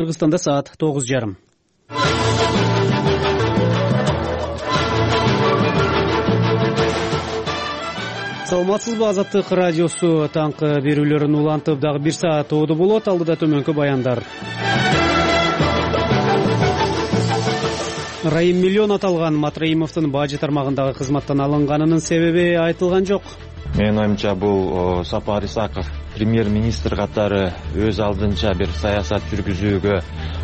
Кыргызстанда саат 9:30. Саламатсызбы, Азаттык радиосу таңкы берүүлөрүн улантып дагы 1 саат оодо болот. Алдыда төмөнкү баяндар. Райым миллион аталган Матраимовдун бажы тармагындагы кызматтан алынганынын себеби айтылган жок. Менин оюмча бул Сапар Исаков премьер-министр катары өз алдынча бир саясат жүргүзүүгө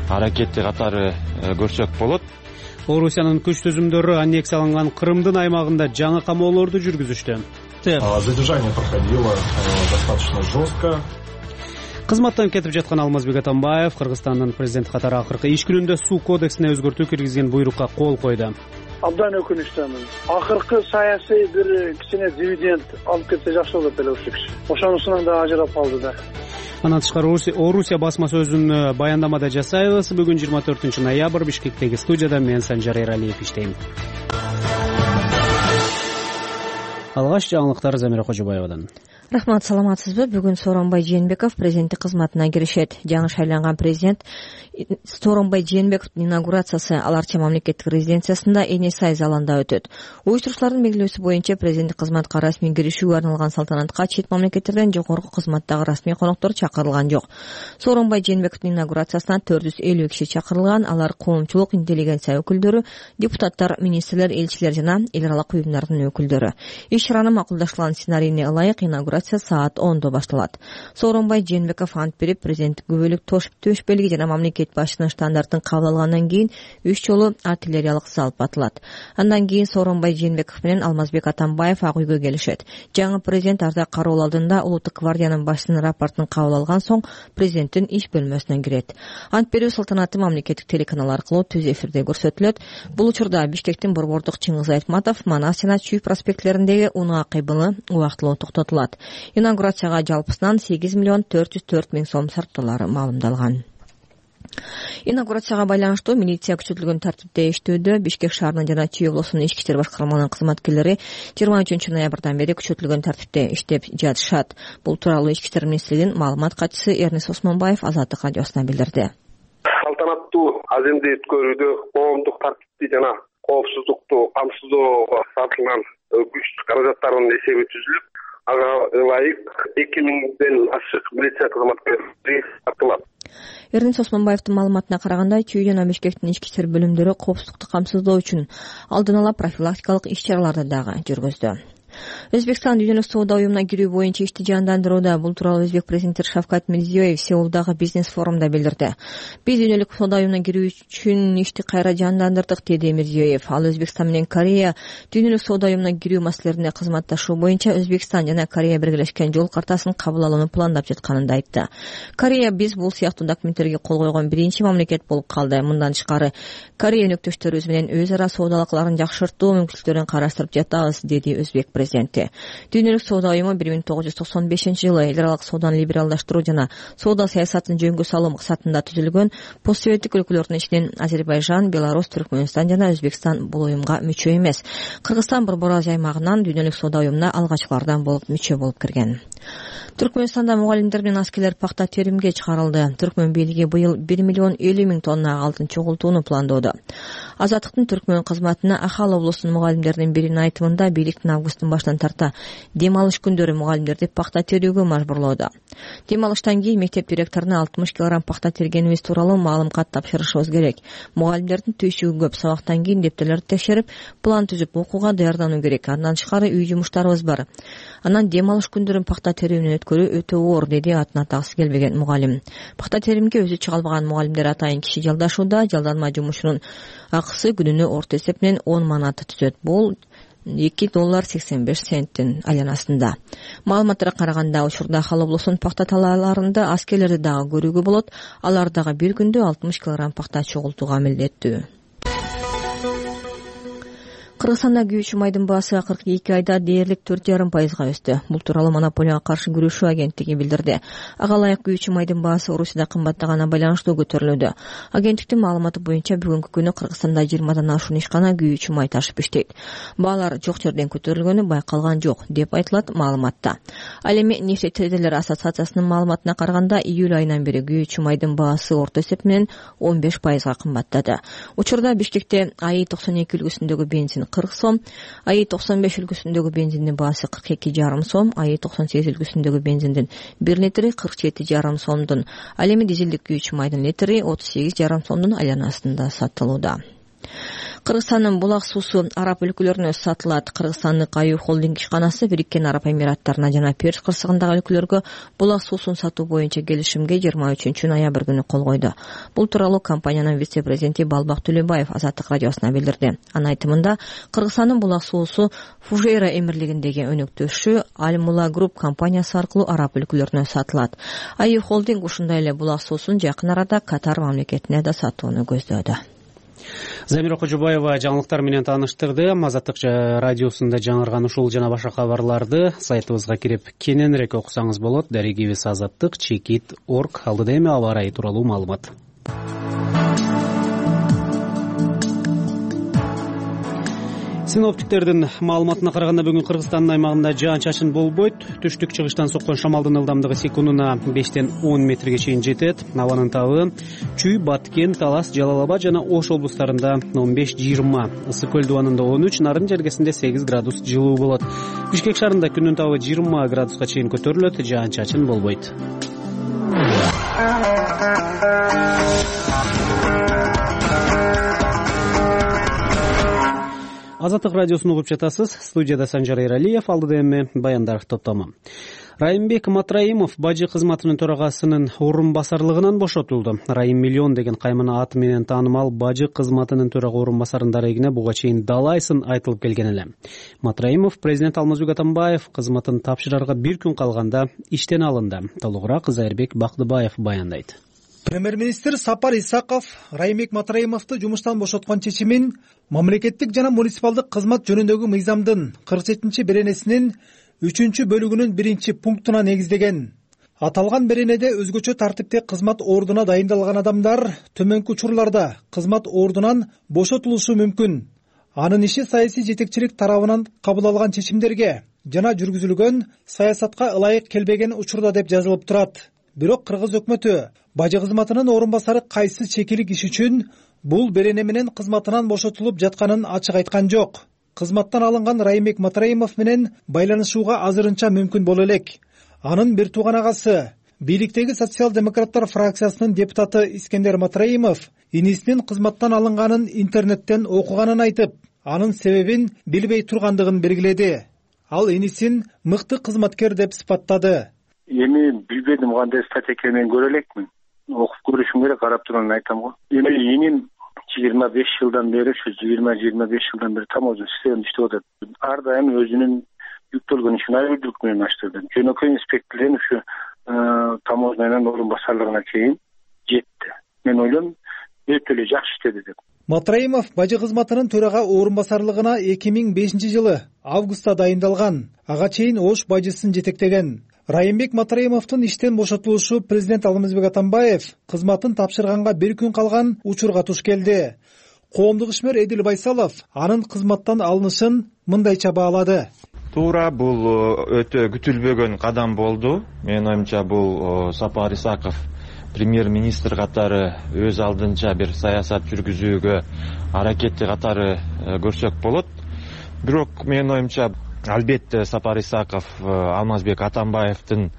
аракети катары көрсөк болот. Орусиянын күч түзүмдөрү аннексияланган Крымдын аймагында жаңы камоолорду жүргүзүштү. Задержание проходило достаточно жестко. Кызматтан кетип жаткан Алмазбек Атамбаев Кыргызстандын президенти катары акыркы иш күнүндө суу кодексине өзгөртүү киргизген буйрукка кол койду. Абдан өкүнүчтөмүн. Акыркы саясий бир кичине дивиденд алып кетсе жакшы болот эле ушул киши. Ошонусунан да ажырап калды да. Андан тышкары Орусия басма сөзүн баяндамада жасайбыз. Бүгүн 24 ноябрь Бишкектеги студияда мен Санжар Эралиев иштейм. Алгач жаңылыктар Замира Кожобаевадан. Рахмат, саламатсызбы? Бүгүн Сооронбай Жээнбеков президенттик кызматына киришет. Жаңы шайланган президент Сооронбай Жээнбековдун инаугурациясы Ал Арча мамлекеттик резиденциясында Эне Сай залында өтөт. Уюштуруучулардын белгилөөсү боюнча президенттик кызматка расмий киришүүгө арналган салтанатка чет мамлекеттерден жогорку кызматтагы расмий коноктор чакырылган жок. Сооронбай Жээнбековдун инаугурациясына 450 киши чакырылган. Алар коомчулук, интеллигенция өкүлдөрү, депутаттар, министрлер, элчилер жана эл аралык уюмдардын өкүлдөрү. Иш чаранын макулдаштырылган сценарийине ылайык инаугурация саат 10-до башталат. Сооронбай Жээнбеков ант берип, президенттик күбөлүк төшбөлүгү жана мамлекет башчынын штандартын кабыл алгандан кийин 3 жолу артиллериялык залп атылат. Андан кийин Сооронбай Жээнбеков менен Алмазбек Атамбаев Ак үйгө келишет. Жаңы президент ардак кароол алдында улуттук гвардиянын башчысынын рапортун кабыл алган соң президенттин иш бөлмөсүнө кирет. Ант берүү салтанаты мамлекеттик телеканал аркылуу түз эфирде көрсөтүлөт. Бул учурда Бишкектин борбордук Чыңгыз Айтматов, Манас жана Чүй проспектлериндеги унаа кыйбылы убактылуу токтотулат. Инаугурацияга жалпысынан 8 миллион 404 миң сом сарптоолары маалымдалган. Инаугурацияга байланыштуу милиция күчөтүлгөн тартипте иштөөдө. Бишкек шаарынын жана Чүй облусунун ички иштер башкармаларынын кызматкерлери 23 ноябрдан бери күчөтүлгөн тартипте иштеп жатышат. Бул тууралуу Ички иштер министрлигинин маалымат катчысы Эрнис Осмонбаев Азаттык радиосуна билдирди. Салтанаттуу аземди өткөрүүдө коомдук тартипти жана коопсуздукту камсыздоого сарпталган күч каражаттарынын эсеби түзүлүп, ага ылайык 2000ден ашык милиция кызматкерлери тартылат. Эрнис Осмонбаевдин маалыматына караганда, Чүй жана Бишкектин ички иштер бөлүмдөрү коопсуздукту камсыздоо үчүн алдын ала профилактикалык иш-чараларды дагы жүргүздү. Өзбекстан дүйнөлүк соода уюмуна кирүү боюнча ишти жандандырууда. Бул тууралуу Өзбек президенти Шавкат Мирзиёев Сеулдагы бизнес форумда билдирди. Биз дүйнөлүк соода уюмуна кирүү үчүн ишти кайра жандандырдык, деди Мирзиёев. Ал Өзбекстан менен Корея дүйнөлүк соода уюмуна кирүү маселелеринде кызматташуу боюнча Өзбекстан жана Корея биргелешкен жол картасын кабыл алууну пландап жатканын айтты. Корея биз бул сыяктуу документтерге кол койгон биринчи мамлекет болуп калды. Мындан тышкары Корея өнөктөштөрүбүз менен өз ара соода алакаларын жакшыртуу мүмкүнчүлүктөрүн караштырып жатабыз, деди Өзбек президенти. Дүйнөлүк соода уюму 1995-жылы эл аралык сооданы либералдаштыруу жана соода саясатын жөнгө салуу максатында түзүлгөн. Постсоветтик өлкөлөрдүн ичинен Азербайжан, Беларусь, Түркмөнстан жана Өзбекстан бул уюмга мүчө эмес. Кыргызстан Борбор Азия аймагынан дүйнөлүк соода уюмуна алгачкылардан болуп мүчө болуп кирген. Түркмөнстанда мугалимдер менен аскерлер пахта теримге чыгарылды. Түркмөн бийлиги быйыл 1 миллион 50 миң тонна алтын чогултууну пландоодо. Азаттыктын Түркмөн кызматына Ахал облусунун мугалимдеринин биринин айтымында бийликтин августтун башынан тарта дем алыш күндөрү мугалимдерди пахта терүүгө мажбурлоодо. Дем алыштан кийин мектеп директоруна 60 кг пахта тергенибиз тууралуу маалым кат тапшырышыбыз керек. Мугалимдердин түйшүгү көп, сабактан кийин дептерлерди текшерип, план түзүп окууга даярдануу керек. Андан тышкары үй жумуштарыбыз бар. Анан дем алыш күндөрүн пахта терүү менен өткөрүү өтө оор, деди атын атагысы келбеген мугалим. Пахта теримге өзү чыга албаган мугалимдер атайын киши жалдашууда. Жалданма жумушунун акысы күнүнө орто эсеп менен 10 манат түзөт. Бул $2.85 айланасында. Маалыматтарга караганда, учурда Ахал облусунун пахта талааларында аскерлерди дагы көрүүгө болот. Алар дагы бир күндө 60 кг пахта чогултууга милдеттүү. Кыргызстанда күйүүчү майдын баасы 42 айда дээрлик 4,5% өстү. Бул тууралуу монополияга каршы күрөшүү агенттиги билдирди. Ага ылайык күйүүчү майдын баасы Орусияда кымбаттаганына байланыштуу көтөрүлүүдө. Агенттиктин маалыматы боюнча бүгүнкү күнү Кыргызстанда 20дан ашуун ишкана күйүүчү май ташып иштейт. Баалар жок жерден көтөрүлгөнү байкалган жок деп айтылат маалыматта. Ал эми нефтетрейдерлер ассоциациясынын маалыматына караганда июль айынан бери күйүүчү майдын баасы орто эсеп менен 15% кымбаттады. Учурда Бишкекте АИ 92 үлгүсүндөгү бензин 40 сом, АИ 95 үлгүсүндөгү бензиндин баасы 42,5 сом, АИ 98 үлгүсүндөгү бензиндин 1 литри 47,5 сомдун, ал эми дизелдик күйүүчү майдын литри 38,5 сомдун айланасында сатылууда. Кыргызстандын булак суусу араб өлкөлөрүнө сатылат. Кыргызстандык Аюу холдинг ишканасы Бириккен Араб Эмираттарына жана Перс кырсыгындагы өлкөлөргө булак суусун сатуу боюнча келишимге 23 ноябрь күнү кол койду. Бул тууралуу компаниянын вице-президенти Балбак Төлөбаев Азаттык радиосуна билдирди. Анын айтымында, Кыргызстандын булак суусу Фужейра эмирлигиндеги өнөктөшү Аль-Мула Груп компаниясы аркылуу араб өлкөлөрүнө сатылат. Аюу холдинг ушундай эле булак суусун жакын арада Катар мамлекетине да сатууну көздөөдө. Замира Кожобаева жаңылыктар менен тааныштырды. Азаттык радиосунда жаңырган ушул жана башка кабарларды сайтыбызга кирип кененирээк окусаңыз болот. Дарегибиз azattik.org. Алдыда эми аба ырайы тууралуу маалымат. Синоптиктердин маалыматына караганда бүгүн Кыргызстандын аймагында жаан-чачын болбойт. Түштүк-чыгыштан соккон шамалдын ылдамдыгы секундуна 5-тен 10 метрге чейин жетет. Абанын табы Чүй, Баткен, Талас, Жалал Абад жана Ош облустарында 15-20, Ысык көл дубанында 13, Нарын жергесинде 8 градус жылуу болот. Бишкек шаарында күндүн табы 20 градуска чейин көтөрүлөт, жаан-чачын болбойт. Азаттык радиосун угуп жатасыз. Студияда Санжар Эралиев, алдыда эми баяндар топтому. Райымбек Матраимов бажы кызматынын төрагасынын орун басарлыгынан бошотулду. Райым Миллион деген каймана аты менен таанымал бажы кызматынын төрага орун басарынын дарегине буга чейин далайсын айтылып келген эле. Матраимов президент Алмазбек Атамбаев кызматын тапшырарга бир күн калганда иштен алынды. Толугураак Зайырбек Бактыбаев баяндайт. Премьер-министр Сапар Исаков Райымбек Матраимовду жумуштан бошоткон чечимин мамлекеттик жана муниципалдык кызмат жөнүндөгү мыйзамдын 47 беренесинин 3-бөлүгүнүн 1-пунктуна негиздеген. Аталган беренеде өзгөчө тартипте кызмат ордуна дайындалган адамдар төмөнкү учурларда кызмат ордунан бошотулушу мүмкүн. Анын иши саясий жетекчилик тарабынан кабыл алган чечимдерге жана жүргүзүлгөн саясатка ылайык келбеген учурда деп жазылып турат. Бирок кыргыз өкмөтү бажы кызматынын орун басары кайсы чекилик иш үчүн бул берене менен кызматынан бошотулуп жатканын ачык айткан жок. Кызматтан алынган Райымбек Матраимов менен байланышууга азырынча мүмкүн боло элек. Анын бир тууган агасы, бийликтеги социал-демократтар фракциясынын депутаты Искендер Матраимов инисинин кызматтан алынганын интернеттен окуганын айтып, анын себебин билбей тургандыгын белгиледи. Ал инисин мыкты кызматкер деп сыпаттады. Эми билбедим кандай статья экенин көрө элекмин. Окуп көрүшүм керек, карап турган айтам го. Эми иним 25 жылдан бери, ушу 20-25 жылдан бери таможня системасында иштеп атат. Ар дайым өзүнүн жүктөлгөн ишин айрымдуулук менен баштады. Жөнөкөй инспекторден ушу таможнянын орун басарлыгына чейин жетти. Мен ойлойм, өтө эле жакшы иштеди деп. Матраимов бажы кызматынын төрага орун басарлыгына 2005 жылы августта дайындалган. Ага чейин Ош бажысын жетектеген. Райымбек Матраимовдун иштен бошотулушу президент Алмазбек Атамбаев кызматын тапшырганга бир күн калган учурга туш келди. Коомдук ишмер Эдил Байсалов анын кызматтан алынышын мындайча баалады. Туура, бул өтө күтүлбөгөн кадам болду. Менин оюмча бул Сапар Исаков премьер-министр катары өз алдынча бир саясат жүргүзүүгө аракети катары көрсөк болот. Бирок менин оюмча албетте Сапар Исаков Алмазбек Атамбаевдин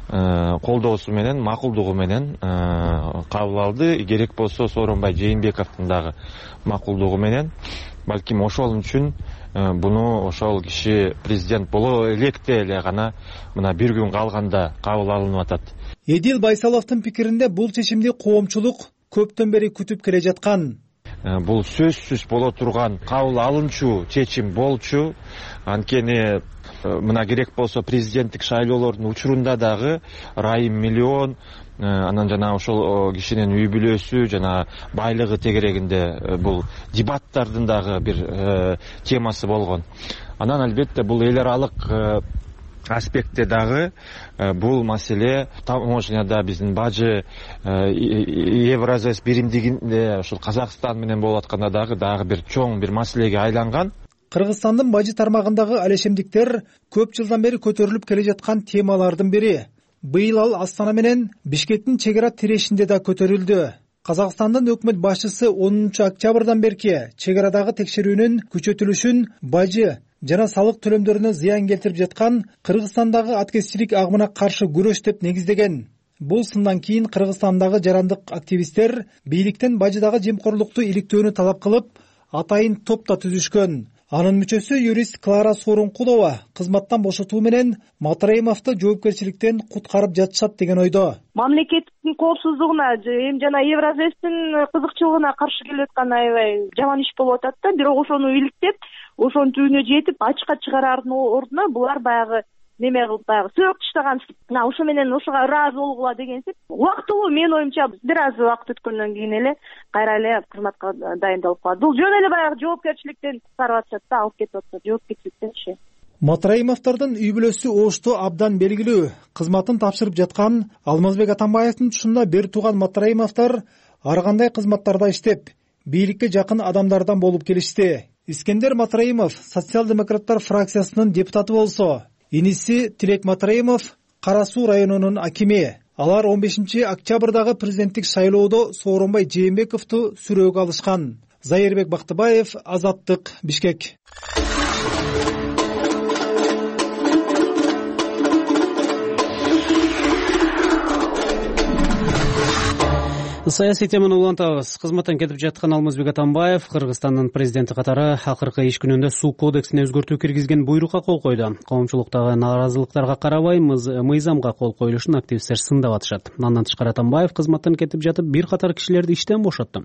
колдоосу менен, макулдугу менен кабыл алды. Керек болсо Сооронбай Жээнбековдун дагы макулдугу менен. Балким ошол үчүн буну ошол киши президент боло электе эле гана мына бир күн калганда кабыл алынып атат. Эдил Байсаловдун пикиринде бул чечимди коомчулук көптөн бери күтүп келе жаткан. Бул сөзсүз боло турган кабыл алынчу чечим болчу. Анткени мына керек болсо президенттик шайлоолордун учурунда дагы Райым Миллион анан жана ошол кишинин үй бүлөсү жана байлыгы тегерегинде бул дебаттардын дагы бир темасы болгон. Анан албетте бул эл аралык аспектте дагы бул маселе таможняда биздин бажы Евразес биримдигинде ушул Казакстан менен болуп атканда дагы бир чоң бир маселеге айланган. Кыргызстандын бажы тармагындагы алешемдиктер көп жылдан бери көтөрүлүп келе жаткан темалардын бири. Быйыл ал Астана менен Бишкектин чек ара тирешинде да көтөрүлдү. Казакстандын өкмөт башчысы 10 октябрдан берки чек арадагы текшерүүнүн күчөтүлүшүн бажы жана салык төлөмдөрүнө зыян келтирип жаткан Кыргызстандагы аткезчилик агымына каршы күрөш деп негиздеген. Бул сындан кийин Кыргызстандагы жарандык активисттер бийликтен бажыдагы жемкорлукту иликтөөнү талап кылып, атайын топ да түзүшкөн. Анын мүчөсү юрист Клара Сооронкулова кызматтан бошотуу менен Матраимовду жоопкерчиликтен куткарып жатышат деген ойдо. Мамлекеттин коопсуздугуна жана Евразестин кызыкчылыгына каршы келип аткан аябай жаман иш болуп атат да. Бирок ошону иликтеп, ошонун түбүнө жетип, ачыкка чыгараардын ордуна булар баягы неме кылып сөөк таштаган. Ошо менен ошого ыраазы болгула дегенсип. Убактылуу менин оюмча бир аз убакыт өткөндөн кийин эле кайра эле кызматка дайындалып калат. Бул жөн эле баягы жоопкерчиликтен куткарып атышат да, алып кетип атышат жоопкерчиликтен. Матраимовдордун үй бүлөсү оошту абдан белгилүү. Кызматын тапшырып жаткан Алмазбек Атамбаевдин тушунда бир тууган Матраимовдор ар кандай кызматтарда иштеп, бийликке жакын адамдардан болуп келишти. Искендер Матраимов социал-демократтар фракциясынын депутаты болсо, иниси Тилек Матраимов Кара Суу районунун акими. Алар 15 октябрдагы президенттик шайлоодо Сооронбай Жээнбековду сүрөөгө алышкан. Зайырбек Бактыбаев, Азаттык, Бишкек. Саясий теманы улантабыз. Кызматтан кетип жаткан Алмазбек Атамбаев Кыргызстандын президенти катары акыркы иш күнүндө суу кодексине өзгөртүү киргизген буйрукка кол койду. Коомчулуктагы нааразылыктарга карабай мыйзамга кол коюлушун активисттер сындап атышат. Андан тышкары Атамбаев кызматтан кетип жатып бир катар кишилерди иштен бошотту.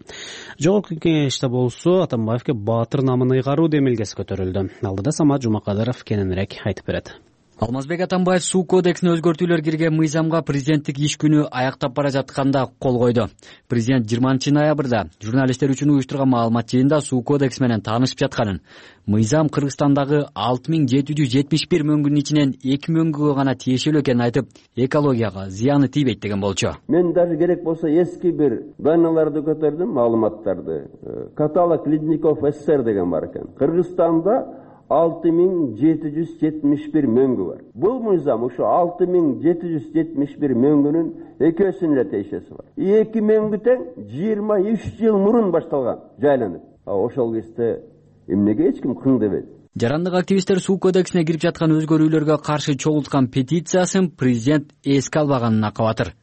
Жогорку кеңеште болсо Атамбаевге баатыр намын ыйгаруу демилгеси көтөрүлдү. Алдыда Самат Жумакадыров кененирээк айтып берет. Алмазбек Атамбаев суу кодексине өзгөртүүлөр кирген мыйзамга президенттик иш күнү аяктап бара жатканда кол койду. Президент 20 ноябрда журналисттер үчүн уюштурган маалымат жыйынында суу кодекси менен таанышып жатканын, мыйзам Кыргызстандагы 6771 мөңгүнүн ичинен 2 мөңгүгө гана тиешелүү экенин айтып, экологияга зыяны тийбейт деген болчу. Мен даже керек болсо эски бир данныйларды көтөрдүм, маалыматтарды. Каталог Ледников СССР деген бар экен. Кыргызстанда 6771 мөңгү бар. Бул мыйзам ушу 6771 мөңгүнүн экөөсүнүн эле тиешеси бар. 2 мөңгү тең 23 жыл мурун башталган, жайланып. Ошол кезде эмнеге эч ким кың дебейт? Жарандык активисттер суу кодексине кирип жаткан өзгөрүүлөргө каршы чогулткан петициясын президент эске албаганын акабатыр.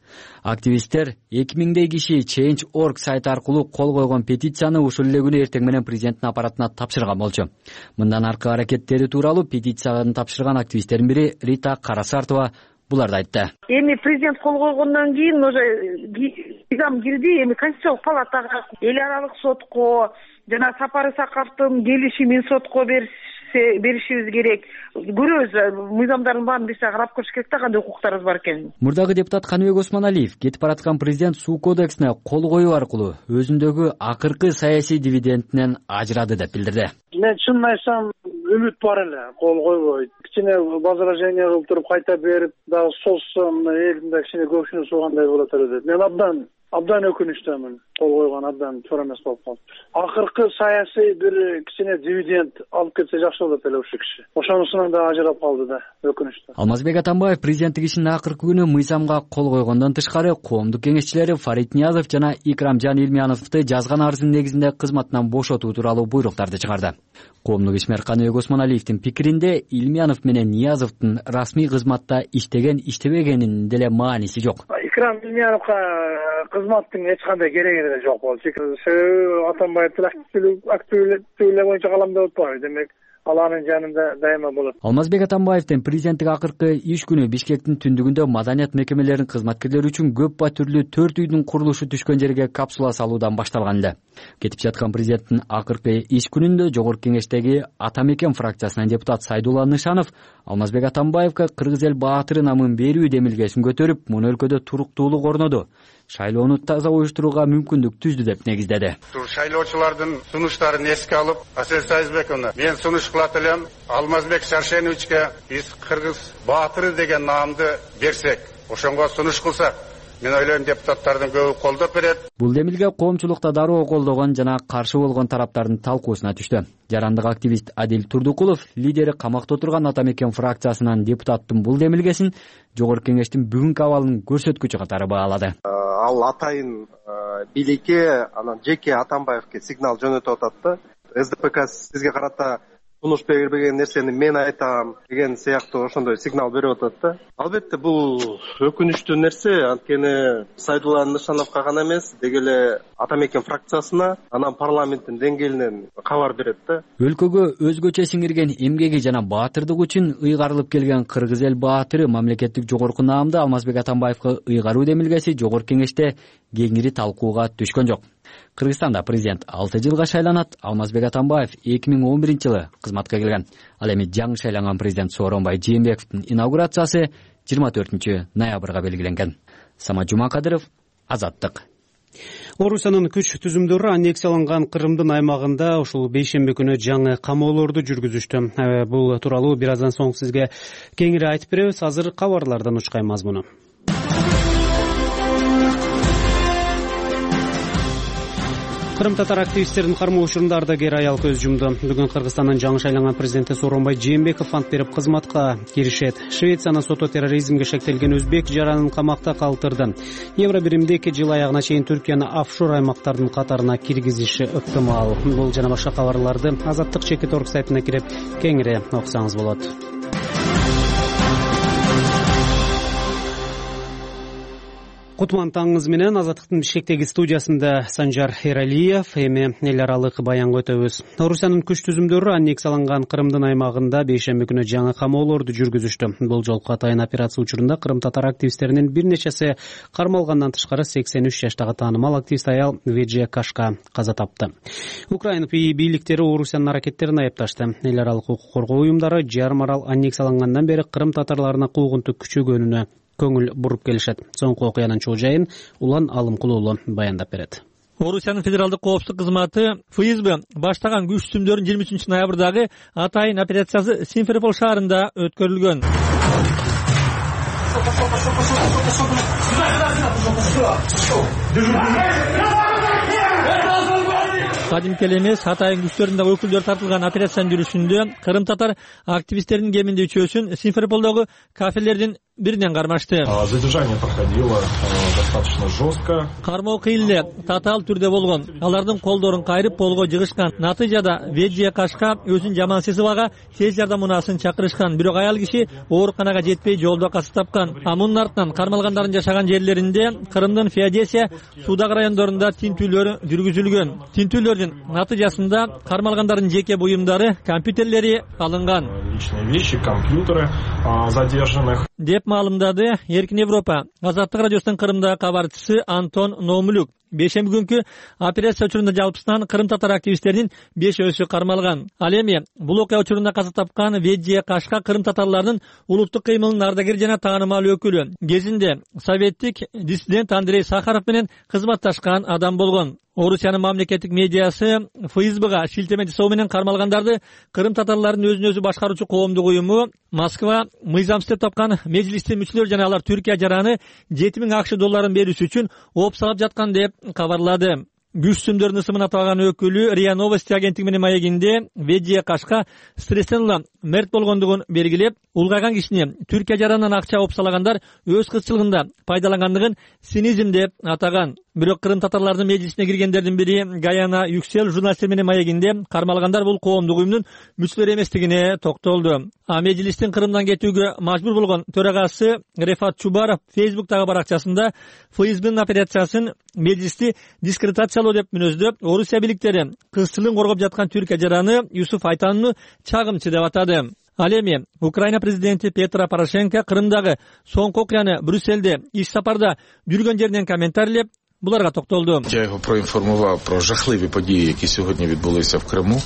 Активисттер 2000дей киши Change.org сайты аркылуу кол койгон петицияны ушул эле күнү эртең менен президенттин аппаратына тапшырган болчу. Мындан аркы аракеттери тууралуу петицияны тапшырган активисттердин бири Рита Карасартова буларды айтты. Эми президент кол койгондон кийин уже мыйзам кирди, эми Конституциялык палатага, эл аралык сотко жана Сапар Исаковдун келишимин сотко беришибиз керек. Көрөбүз, мыйзамдардын баарын биз карап көрүш керек да, кандай укуктарыбыз бар экенин. Мурдагы депутат Каныбек Осмоналиев кетип бараткан президент суу кодексине кол коюу аркылуу өзүндөгү акыркы саясий дивидендинен ажырады деп билдирди. Мен чынын айтсам, үмүт бар эле, кол койбойт. Кичине возражение кылып туруп кайта берип, дагы созсом элдин да кичине көпшүнү суугандай болот эле деп. Мен абдан өкүнүчтөмүн. Кол койгон абдан туура эмес болуп калды. Акыркы саясий бир кичине дивиденд алып кетсе жакшы болот эле ушул киши. Ошонусунан да ажырап калды да, өкүнүчтүү. Алмазбек Атамбаев президенттик ишинин акыркы күнү мыйзамга кол койгондон тышкары коомдук кеңешчилери Фарид Ниязов жана Икрамжан Илмияновду жазган арыздын негизинде кызматтан бошотуу тууралуу буйруктарды чыгарды. Коомдук ишмер Каныбек Осмоналиевдин пикиринде Илмиянов менен Ниязовдун расмий кызматта иштеген-иштебегенинин деле мааниси жок. Икрам Илмияновго кызматтын эч кандай кереги эле жок болчу. Себеби Атамбаевдин активдүүлүгү боюнча каламдап атпайбы. Демек, ал анын жанында дайыма болот. Алмазбек Атамбаевдин президенттик акыркы иш күнү Бишкектин түндүгүндө маданият мекемелеринин кызматкерлери үчүн көп батүрлүү 4 үйдүн курулушу түшкөн жерге капсула салуудан башталган эле. Кетип жаткан президенттин акыркы иш күнүндө Жогорку Кеңештеги Ата мекен фракциясынан депутат Сайдулла Нышанов Алмазбек Атамбаевга Кыргыз эл баатыры намын берүү демилгесин көтөрүп, муну өлкөдө туруктуулук орноду, шайлоону таза уюштурууга мүмкүндүк түздү деп негиздеди. Шайлоочулардын сунуштарын эске алып, Асель Сайызбековна, мен сунуш кылат элем, Алмазбек Шаршеновичке биз Кыргыз баатыры деген наамды берсек, ошонго сунуш кылсак, мен ойлойм депутаттардын көбү колдоп берет. Бул демилге коомчулукта дароо колдогон жана каршы болгон тараптардын талкуусуна түштү. Жарандык активист Адил Турдукулов лидери камакта отурган Ата мекен фракциясынан депутаттын бул демилгесин Жогорку Кеңештин бүгүнкү абалынын көрсөткүчү катары баалады. Ал атайын бийликке, анан жеке Атамбаевке сигнал жөнөтүп атат да. СДПК сизге карата сунуш бербеген нерсени мен айтам деген сыяктуу ошондой сигнал берип атат да. Албетте бул өкүнүчтүү нерсе, анткени Сайдулла Нышановго гана эмес, деги эле Ата мекен фракциясына, анан парламенттин деңгээлинен кабар берет да. Өлкөгө өзгөчө сиңирген эмгеги жана баатырдык үчүн ыйгарылып келген Кыргыз эл баатыры мамлекеттик жогорку наамды Алмазбек Атамбаевга ыйгаруу демилгеси Жогорку Кеңеште кеңири талкууга түшкөн жок. Кыргызстанда президент 6 жылга шайланат. Алмазбек Атамбаев 2011-жылы кызматка келген. Ал эми жаңы шайланган президент Сооронбай Жээнбековдун инаугурациясы 24-ноябрга белгиленген. Самат Жумакадыров, Азаттык. Орусиянын күч түзүмдөрү аннексияланган Кырымдын аймагында ушул бейшемби күнү жаңы камоолорду жүргүзүштү. Бул тууралуу бир аздан соң сизге кеңири айтып беребиз. Азыр кабарлардан учкай мазмуну. Кырым татар активисттерин кармоо учурунда ардагер аял көз жумду. Бүгүн Кыргызстандын жаңы шайланган президенти Сооронбай Жээнбеков ант берип кызматка киришет. Швециянын соту терроризмге шектелген өзбек жаранын камакта калтырды. Евробиримде 2 жыл аягына чейин Түркияны офшор аймактардын катарына киргизиши ыктымал. Бул жана башка кабарларды Азаттык Чекит.орг сайтына кирип кеңири окусаңыз болот. Кутман таңыңыз менен Азаттыктын Бишкектеги студиясында Санжар Эралиев, эми эл аралык баянга өтөбүз. Орусиянын күч түзүмдөрү аннексияланган Кырымдын аймагында бейшемби күнү жаңы камоолорду жүргүзүштү. Бул жолку атайын операция учурунда Кырым татар активисттеринин бир нечеси кармалгандан тышкары 83 жаштагы таанымал активист аял Веджия Кашка каза тапты. Украина бийликтери Орусиянын аракеттерин айыпташты. Эл аралык укук коргоо уюмдары жарым арал аннексиялангандан бери Кырым татарларына куугунтук күчөгөнүнө көңүл буруп келишет. Соңку окуянын чоо жайын Улан Алымкулуулу баяндап берет. Орусиянын федералдык коопсуздук кызматы ФСБ баштаган күч түзүмдөрүнүн 23-ноябрдагы атайын операциясы Симферополь шаарында өткөрүлгөн. Кадимки эле эмес, атайын күчтөрүнүн өкүлдөрү тартылган операциянын жүрүшүндө Кырым татар активисттеринин кеминде үчөөсүн Симферопольдогу кафелердин биринен кармашты. Задержание проходило достаточно жестко. Кармоо кыйын эле татаал түрдө болгон. Алардын колдорун кайрып полго жыгышкан. Натыйжада Веджия Кашка өзүн жаман сезибага тез жардам унаасын чакырышкан. Бирок аял киши ооруканага жетпей жолдо каза тапкан. Мунун артынан кармалгандардын жашаган жерлеринде Кырымдын Феодосия, Судак райондорунда тинтүүлөр жүргүзүлгөн. Тинтүүлөрдүн натыйжасында кармалгандардын жеке буюмдары, компьютерлери алынган. Личные вещи, компьютеры задержанных. Деп маалымдады Эркин Европа. Азаттык радиосунун Кырымдагы кабарчысы Антон Номулюк. Бейшемби күнкү операция учурунда жалпысынан Кырым татар активисттеринин 5-өсү кармалган. Ал эми бул окуя учурунда каза тапкан Веджия Кашка Кырым татарларынын улуттук кыймылынын ардагери жана таанымал өкүлү. Кезинде советтик диссидент Андрей Сахаров менен кызматташкан адам болгон. Орусиянын мамлекеттик медиасы ФСБга шилтеме жасоо менен кармалгандарды Кырым татарларынын өзүн өзү башкаруучу коомдук уюму Москва мыйзамсыз деп тапкан межлистин мүчөлөрү жана алар Түркия жараны $7000 берүүсү үчүн оопсалап жаткан деп кабарлады. Күч түзүмдөрүнүн ысымын аталган өкүлү РИА Новости агенттиги менен маегинде Веджия Кашка стресстен улам мерт болгондугун белгилеп, улгайган кишини Түркия жаранынан акча оопсалагандар өз кызчылыгында пайдалангандыгын цинизм деп атаган. Бирок Кырым татарларынын межлисине киргендердин бири Гаяна Юксел журналисттер менен маегинде кармалгандар бул коомдук уюмдун мүчөлөрү эместигине токтолду. Межлистин Кырымдан кетүүгө мажбур болгон төрагасы Рефат Чубаров Facebook'тагы баракчасында ФСБнын операциясын межлисти дискредитациялоо деп мүнөздөп, Орусия бийликтери кызчылыгын коргоп жаткан Түркия жараны Юсуф Айтановну чагымчы деп атады. Ал эми Украина президенти Петро Порошенко Кырымдагы соңку окуяны Брюссельде иш сапарда жүргөн жеринен комментарийлеп, буларга токтолду. Я його проінформував про жахливі події, які сьогодні відбулися в Криму,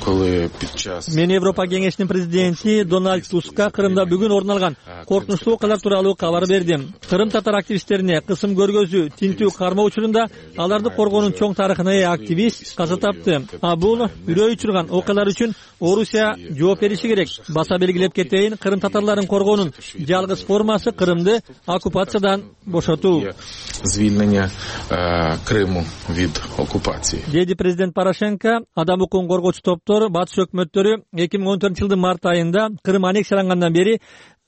коли під час... Мен Европа кеңешинин президенти Дональд Тускка Кырымда бүгүн орун алган коркунучтуу окуялар тууралуу кабар бердим. Кырым татар активисттерине кысым көргөзүү, тинтүү кармоо учурунда аларды коргоонун чоң тарыхына ээ активист каза тапты. Бул үрөй учурган окуялар үчүн Орусия жооп бериши керек. Баса белгилеп кетейин, Кырым татарларын коргоонун жалгыз формасы Кырымды оккупациядан бошотуу. Звільнення Криму від окупації. Деди президент Порошенко адам укугун коргоочу топтор, батыш өкмөттөрү 2014-жылдын март айында Кырым аннексиялангандан бери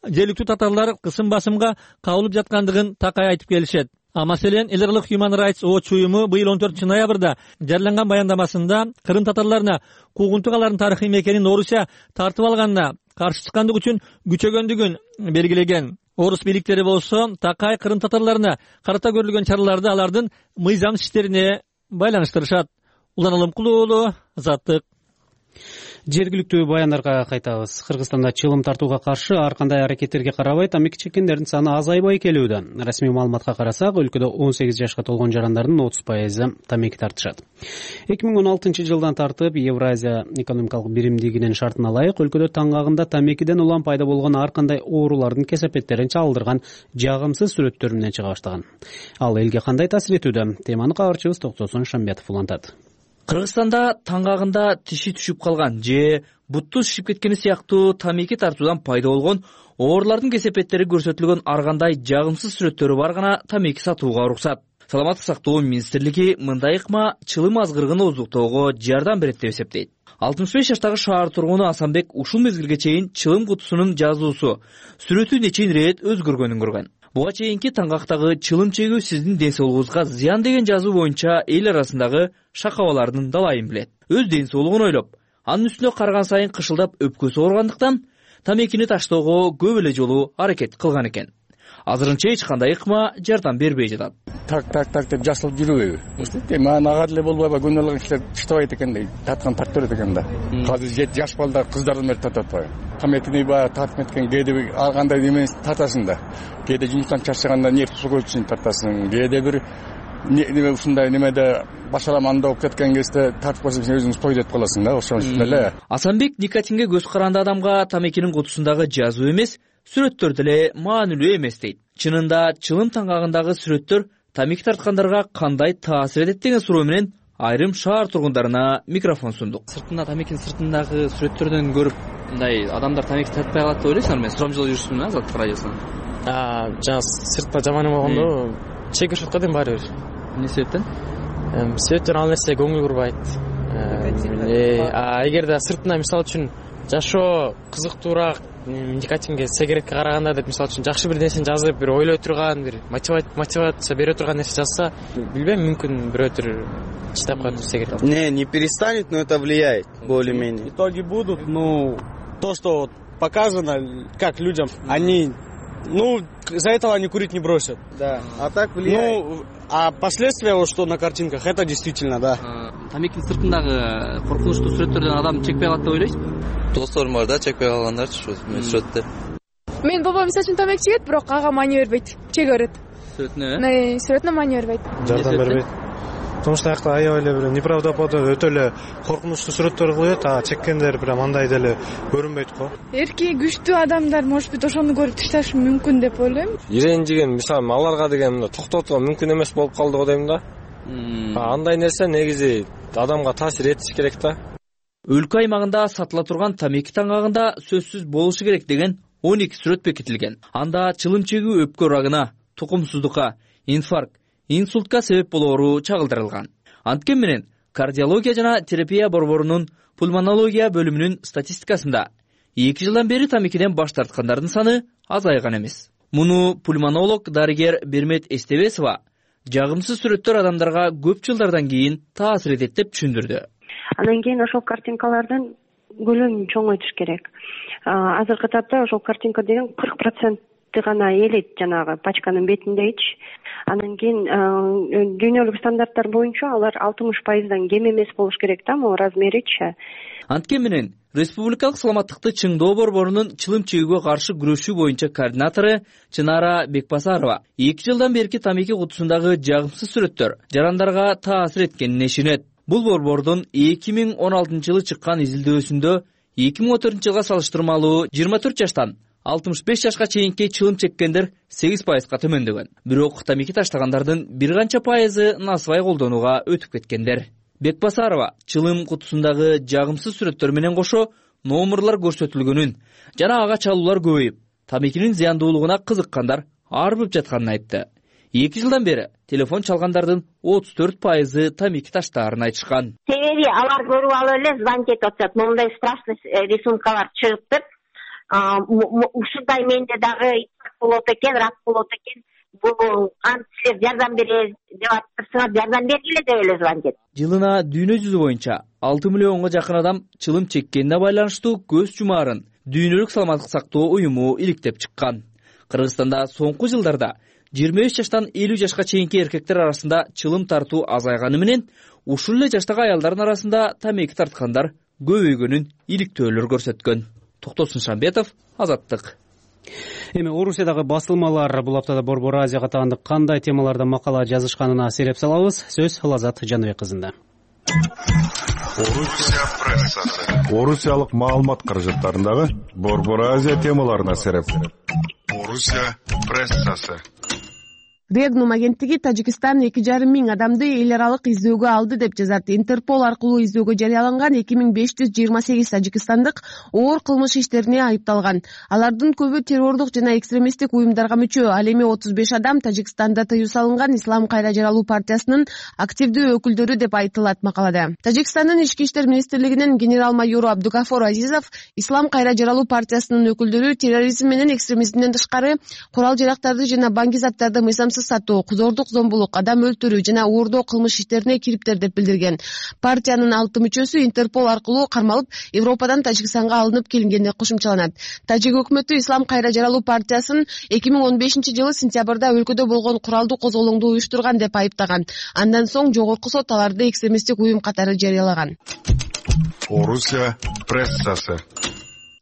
жергиликтүү татарлар кысым-басымга кабылып жаткандыгын такай айтып келишет. Маселен, Elderly Human Rights Watch уюму быйыл 14-ноябрда жарыяланган баяндамасында Кырым татарларына куугунтук алардын тарыхый мекенин Орусия тартып алганына каршы чыккандык үчүн күчөгөндүгүн белгилеген. Орус бийликтери болсо такай Кырым татарларына карата көрүлгөн чараларды алардын мыйзам иштерине байланыштырышат. Улан Алымкулуу уулу, Азаттык. Жергиликтүү баяндарга кайтабыз. Кыргызстанда чылым тартууга каршы ар кандай аракеттерге карабай тамеки чеккендердин саны азайбай келүүдө. Расмий маалыматка карасак, өлкөдө 18 жашка толгон жарандардын 30% тамеки тартышат. 2016-жылдан тартып Евразия экономикалык биримдигинин шартына ылайык өлкөдө таңгагында тамекиден улам пайда болгон ар кандай оорулардын кесепеттерин чагылдырган жагымсыз сүрөттөр менен чыга баштаган. Ал элге кандай таасир этүүдө? Теманы кабарчыбыз Токтосун Шамбетов улантат. Кыргызстанда таңгагында тиши түшүп калган же бутту шишип кеткени сыяктуу тамеки тартуудан пайда болгон оорулардын кесепеттери көрсөтүлгөн ар кандай жагымсыз сүрөттөрү бар гана тамеки сатууга уруксат. Саламаттык сактоо министрлиги мындай ыкма чылым азгырыгын ооздуктоого жардам берет деп эсептейт. 65 жаштагы шаар тургуну Асанбек ушул мезгилге чейин чылым кутусунун жазуусу, сүрөтү нечен ирет өзгөргөнүн көргөн. Буга чейинки таңгактагы чылым чегүү сиздин ден соолугуңузга зыян деген жазуу боюнча эл арасындагы шакабалардын далайын билет. Өз ден соолугун ойлоп, анын үстүнө караган сайын кышылдап өпкөсү ооругандыктан тамекини таштоого көп эле жолу аракет кылган экен. Азырынча эч кандай ыкма жардам бербей жатат. Так деп жасылып жүрүбөйбү. Маған ага деле болбойбу, күнөөлүк иштер иштебейт экен дейт. Тарткан тартып берет экен да. Азыр жаш балдар, кыздардан бери тартып атпайбы. Тамекини баягы тартып кеткен кээде ар кандай немени тартасың да. Кээде жумуштан чарчаганда нефть суу үчүн тартасың. Кээде бир неме ушундай немеде башаламанда болуп кеткен кезде тартып койсоң сен өзүңүз той деп каласың да, ошон үчүн эле. Асанбек никотинге көз каранды адамга тамекинин кутусундагы жазуу эмес, сүрөттөр деле маанилүү эмес дейт. Чынында чылым таңгагындагы сүрөттөр тамеки тарткандарга кандай таасир этет деген суроо менен айрым шаар тургундарына микрофон сундук. Сыртында тамекинин сыртындагы сүрөттөрдөн көрүп, мындай адамдар тамеки тартпай калат деп ойлойсуңарбы? Мен сурамжылоо жүрүшмүн Азаттык радиосунан. Жана сыртта жаман эме болгондо чегишет го дейм баары бир. Эмне себептен? Себептен ал нерсе көңүл бурбайт. Эгерде сыртына мисалы үчүн жашоо кызыктуураак, никотинге, сигаретке караганда деп мисалы үчүн жакшы бир нерсени жазып, бир ойлой турган, бир мотивация бере турган нерсе жазса, билбейм, мүмкүн бирөөтөр чыдап калат сигарет. Не перестанет, но это влияет более-менее. Итоги будут, то, что показано, как людям, они, из-за этого они курить не бросят. Да, а так влияет. А последствия, вот что на картинках, это действительно, да. Тамекинин сыртындагы коркунучтуу сүрөттөрдөн адам чекпей калат деп ойлойсузбу? Досторум бар да, чекпей калгандар сүрөттөр. Мен бабам мисалы үчүн тамеки чегет, бирок ага маани бербейт. Чеге берет. Сүрөтүнө? Сүрөтүнө маани бербейт. Жардам бербейт. Потому что аякта аябай эле бир неправдоподобный өтө эле коркунучтуу сүрөттөр коет, а чеккендер прям андай деле көрүнбөйт го. Эрки күчтүү адамдар может быть ошону көрүп ташташы мүмкүн деп ойлойм. Иренжиген мисалы аларга деген токтотууга мүмкүн эмес болуп калды го дейм да. Андай нерсе негизи адамга таасир этиш керек да. Өлкө аймагында сатыла турган тамеки таңгагында сөзсүз болушу керек деген 12 сүрөт бекитилген. Анда чылым чегүү өпкө рагына, тукумсуздукка, инфаркт, инсультка себеп болоору чагылдырылган. Анткени менен кардиология жана терапия борборунун пульмонология бөлүмүнүн статистикасында 2 жылдан бери тамекиден баш тарткандардын саны азайган эмес. Муну пульмонолог дарыгер Бермет Эстебесова жагымсыз сүрөттөр адамдарга көп жылдардан кийин таасир этет деп түшүндүрдү. Андан кийин ошол картинкалардын көлөмүн чоңойтуш керек. Азыркы тапта ошол картинка деген 40% гана элет жанагы пачканын бетиндейчи. Андан кийин дүйнөлүк стандарттар боюнча алар 60%дан кем эмес болуш керек да, могу размеричи. Анткени менен Республикалык саламаттыкты чыңдоо борборунун чылым чегүүгө каршы күрөшүү боюнча координатору Чынара Бекбасарова 2 жылдан берки тамеки кутусундагы жагымсыз сүрөттөр жарандарга таасир эткенине ишенет. Бул борбордун 2016-жылы чыккан изилдөөсүндө 2014 жылга салыштырмалуу 24 жаштан 65 жашка чейинки чылым чеккендер 8%га төмөндөгөн. Бирок тамеки таштагандардын бир канча пайызы насыбай колдонууга өтүп кеткендер. Бекбасарова чылым кутусундагы жагымсыз сүрөттөр менен кошо номерлор көрсөтүлгөнүн жана ага чалуулар көбөйүп, тамекинин зыяндуулугуна кызыккандар арбып жатканын айтты. 2 жылдан бери телефон чалгандардын 34% тамеки таштаарын айтышкан. Себеби алар көрүп алып эле звонить этип атышат. Мондай страшный рисункалар чыгыптыр. Ушундай менде дагы болот экен, рак болот экен. Бул силер жардам беребиз деп атырсыңар, жардам бергиле деп эле звонить этип. Жылына дүйнө жүзү боюнча 6 миллионго жакын адам чылым чеккенине байланыштуу көз жумаарын Дүйнөлүк саламаттык сактоо уюму иликтеп чыккан. Кыргызстанда соңку жылдарда 23 жаштан 50 жашка чейинки эркектер арасында чылым тартуу азайганы менен ушул эле жаштагы аялдардын арасында тамеки тарткандар көбөйгөнүн иликтөөлөр көрсөткөн. Токтосун Шамбетов, Азаттык. Эми Орусиядагы басылмалар бул аптада Борбор Азияга таандык кандай темаларда макала жазышканына сереп салабыз. Сөз Лазат Жаныбек кызында. Орусия прессасы. Орусиялык маалымат каражаттарындагы Борбор Азия темаларына сереп. Орусия прессасы. Регнум агенттиги Тажикстан 2,5 миң адамды эл аралык издөөгө алды деп жазат. Интерпол аркылуу издөөгө жарыяланган 2528 тажикстандык оор кылмыш иштерине айыпталган. Алардын көбү террордук жана экстремисттик уюмдарга мүчө. Ал эми 35 адам Тажикстанда тыюу салынган Ислам кайра жаралуу партиясынын активдүү өкүлдөрү деп айтылат макалада. Тажикстандын ички иштер министрлигинин генерал-майору Абдугафор Азизов Ислам кайра жаралуу партиясынын өкүлдөрү терроризм менен экстремизмден тышкары курал жарактарды жана банки заттарды мыйзамсыз сатуу, кузордук зомбулук, адам өлтүрүү жана уурдоо кылмыш иштерине кириптер деп билдирген. Партиянын 6 мүчөсү Интерпол аркылуу кармалып, Европадан Тажикстанга алынып келингени кошумчаланат. Тажик өкмөтү Ислам кайра жаралуу партиясын 2015-жылы сентябрда өлкөдө болгон куралдуу козголоңду уюштурган деп айыптаган. Андан соң жогорку сот аларды экстремисттик уюм катары жарыялаган. Орусия прессасы.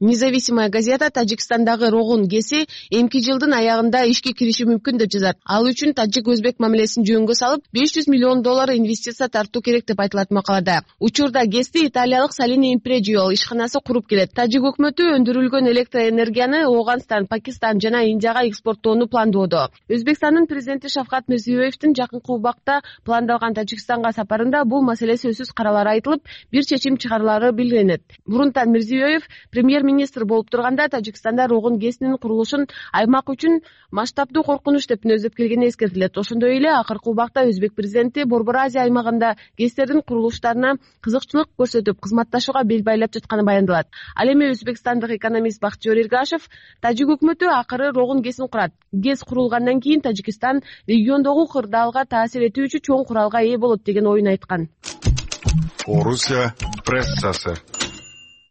Независимая газета Тажикстандагы Рогун ГЭСи эмки жылдын аягында ишке кириши мүмкүн деп жазат. Ал үчүн тажик-өзбек мамилесин жөнгө салып, $500 миллион инвестиция тартуу керек деп айтылат макалада. Учурда ГЭСти италиялык Salini Impregio ишканасы куруп келет. Тажик өкмөтү өндүрүлгөн электроэнергияны Ооганстан, Пакистан жана Индияга экспорттоону пландоодо. Өзбекстандын президенти Шавкат Мирзиёевдин жакынкы убакта пландалган Тажикстанга сапарында бул маселе сөзсүз каралары айтылып, бир чечим чыгарылары билдирилет. Мурунтан Мирзиёев премьер-министр болуп турганда Тажикстанда Рогун ГЭСинин курулушун аймак үчүн масштабдуу коркунуч деп мүнөздөп келгени эскертилет. Ошондой эле акыркы убакта Өзбек президенти Борбор Азия аймагында ГЭСтердин курулуштарына кызыкчылык көрсөтүп, кызматташууга бел байлап жатканы баяндалат. Ал эми өзбекстандык экономист Бактыжор Эргашев тажик өкмөтү акыры Рогун ГЭСин курат. ГЭС курулгандан кийин Тажикстан региондогу кырдаалга таасир этүүчү чоң куралга ээ болот деген оюн айткан. Орусия прессасы.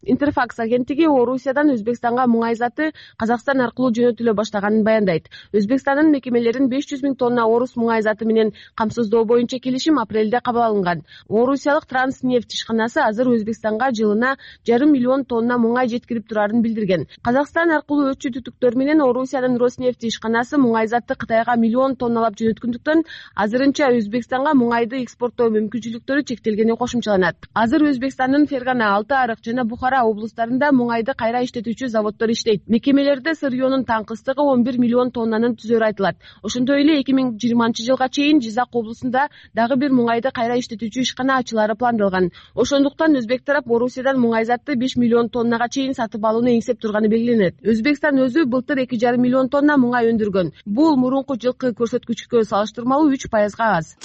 Интерфакс агенттиги Орусиядан Өзбекстанга муңай заты Казакстан аркылуу жөнөтүлө баштаганын баяндайт. Өзбекстандын мекемелерин 500 000 тонна орус муңай заты менен камсыздоо боюнча келишим апрелде кабыл алынган. Орусиялык Транснефть ишканасы азыр Өзбекстанга жылына 500 000 тонна муңай жеткирип турарын билдирген. Казакстан аркылуу өтчү түтүктөр менен Орусиянын Роснефть ишканасы муңай затты Кытайга 1 миллион тонналап жөнөткөндүктөн азырынча Өзбекстанга муңайды экспорттоо мүмкүнчүлүктөрү чектелгени кошумчаланат. Азыр Өзбекстандын Фергана, Алты Арык жана Бухара облустарында муңайды кайра иштетүүчү заводдор иштейт. Мекемелерде сырьёнун таңкыстыгы 11 миллион тоннанын түзөрү айтылат. Ошондой эле 2020-жылга чейин Жизак облусунда дагы бир муңайды кайра иштетүүчү ишкана ачылары пландалган. Ошондуктан өзбек тарап Орусиядан муңай затты 5 миллион тоннага чейин сатып алууну эңсеп турганы белгиленет. Өзбекстан өзү былтыр 2,5 миллион тонна муңай өндүргөн. Бул мурунку жылкы көрсөткүчкө салыштырмалуу 3%га аз.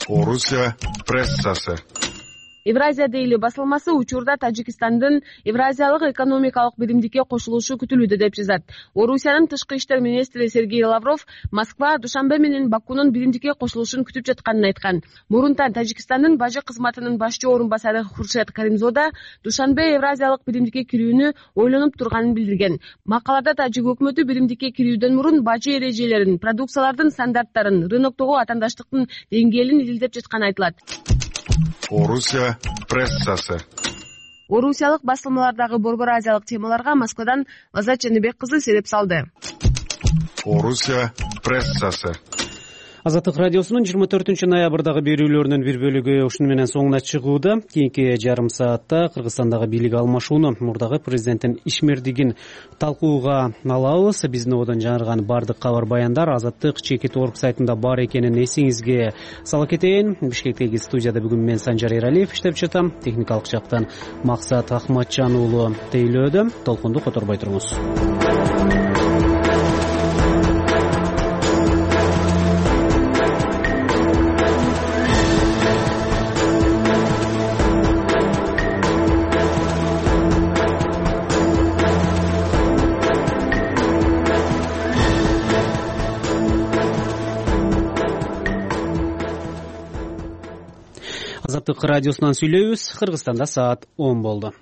Орусия прессасы. Евразия дейли басылмасы учурда Тажикстандын Евразиялык экономикалык биримдикке кошулушу күтүлүүдө деп жазат. Орусиянын тышкы иштер министри Сергей Лавров Москва Душанбе менен Бакунун биримдикке кошулушун күтүп жатканын айткан. Мурунтан Тажикстандын бажы кызматынын башчы орун басары Хуршед Каримзода Душанбе Евразиялык биримдикке кирүүнү ойлонуп турганын билдирген. Макалада тажик өкмөтү биримдикке кирүүдөн мурун бажы эрежелерин, продукциялардын стандарттарын, рыноктогу атаандаштыктын деңгээлин изилдеп жатканы айтылат. Орусия прессасы. Орусиялык басылмалардагы борбор азиялык темаларга Москвадан Лазат Жаныбек кызы сереп салды. Орусия прессасы. Азаттык радиосунун 24 ноябрдагы берүүлөрүнүн бир бөлүгү ушуну менен соңуна чыгууда. Кийинки жарым саатта Кыргызстандагы бийлик алмашууну, мурдагы президенттин ишмердигин талкууга алабыз. Биздин одон жаңырган бардык кабар баяндар Азаттык Чекит.org сайтында бар экенин эсиңизге сала кетейин. Бишкектеги студияда бүгүн мен Санжар Эралиев иштеп жатам. Техникалык жактан Максат Ахматжан уулу тейлөөдө. Толкунду которбой туруңуз. Азаттык радиосунан сүйлөйбүз. Кыргызстанда саат 10 болду.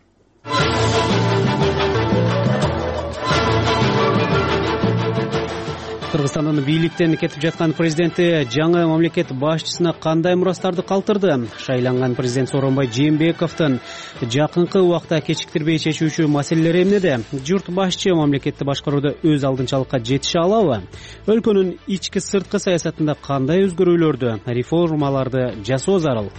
Кыргызстандын бийликтен кетип жаткан президенти жаңы мамлекет башчысына кандай мурастарды калтырды? Шайланган президент Сооронбай Жээнбековдун жакынкы убакта кечиктирбей чечүүчү маселелери эмнеде? Журт башчы мамлекетти башкарууда өз алдынчалыкка жетише алабы? Өлкөнүн ички сырткы саясатында кандай өзгөрүүлөрдү, реформаларды жасоо зарыл?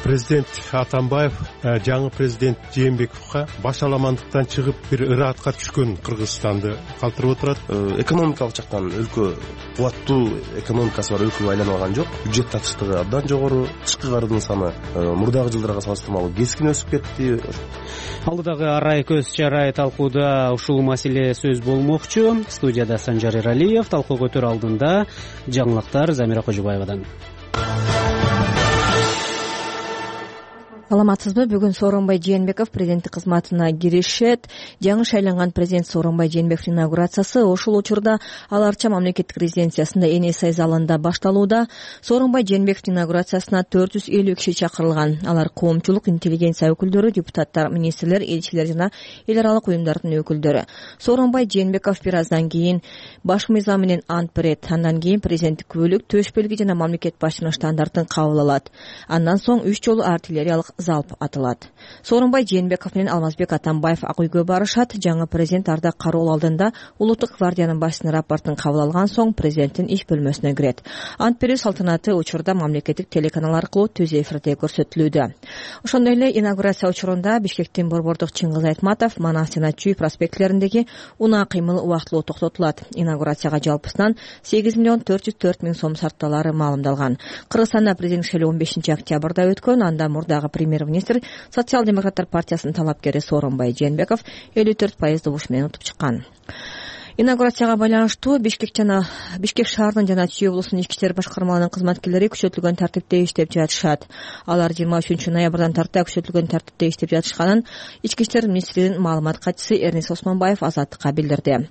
Президент Атамбаев жаңы президент Жээнбековго башаламандыктан чыгып бир ыраатка түшкөн Кыргызстанды калтырып отурат. Экономикалык жактан өлкө кубаттуу экономикасы бар өлкөгө айланып алган жок. Бюджет татыштыгы абдан жогору, тышкы карыздын саны мурдагы жылдарга салыштырмалуу кескин өсүп кетти. Алдыдагы арай көз чарай талкууда ушул маселе сөз болмокчу. Студияда Санжар Эралиев, талкуу өтөр алдында жаңылыктар Замира Кожобаевадан. Саламатсызбы? Бүгүн Сооронбай Жээнбеков президенттик кызматына киришет. Жаңы шайланган президент Сооронбай Жээнбековдун инаугурациясы ушул учурда Ал Арча мамлекеттик резиденциясында Энесай залында башталууда. Сооронбай Жээнбековдун инаугурациясына 450 киши чакырылган. Алар коомчулук, интеллигенция өкүлдөрү, депутаттар, министрлер, элчилер жана эл аралык уюмдардын өкүлдөрү. Сооронбай Жээнбеков бир аздан кийин баш мыйзам менен ант берет. Андан кийин президенттик күбөлүк, төш белги жана мамлекет башчынын штандартын кабыл алат. Андан соң 3 жолу артиллериялык залп атылат. Сооронбай Жээнбеков менен Алмазбек Атамбаев ак үйгө барышат. Жаңы президент арда кароол алдында улуттук гвардиянын башчысынын рапортун кабыл алган соң президенттин иш бөлмөсүнө кирет. Ант берүү салтанаты учурда мамлекеттик телеканал аркылуу түз эфирде көрсөтүлүүдө. Ошондой эле инаугурация учурунда Бишкектин борбордук Чыңгыз Айтматов, Манас жана Чүй проспектилериндеги унаа кыймыл убактылуу токтотулат. Инаугурацияга жалпысынан 8 миллион 404 миң сом сарпталары маалымдалган. Кыргызстанда президенттик шайлоо 15 октябрда өткөн. Анда мурдагы премьер-министр Социал-демократтар партиясынын талапкери Сооронбай Жээнбеков 54% добуш менен утуп чыккан. Инаугурацияга байланыштуу Бишкек шаарынын жана Чүй облусунун ички иштер башкармаларынын кызматкерлери күчөтүлгөн тартипте иштеп жатышат. Алар 23 ноябрдан тарта күчөтүлгөн тартипте иштеп жатышканын ички иштер министринин маалымат катчысы Эрнис Осмонбаев Азаттыкка билдирди.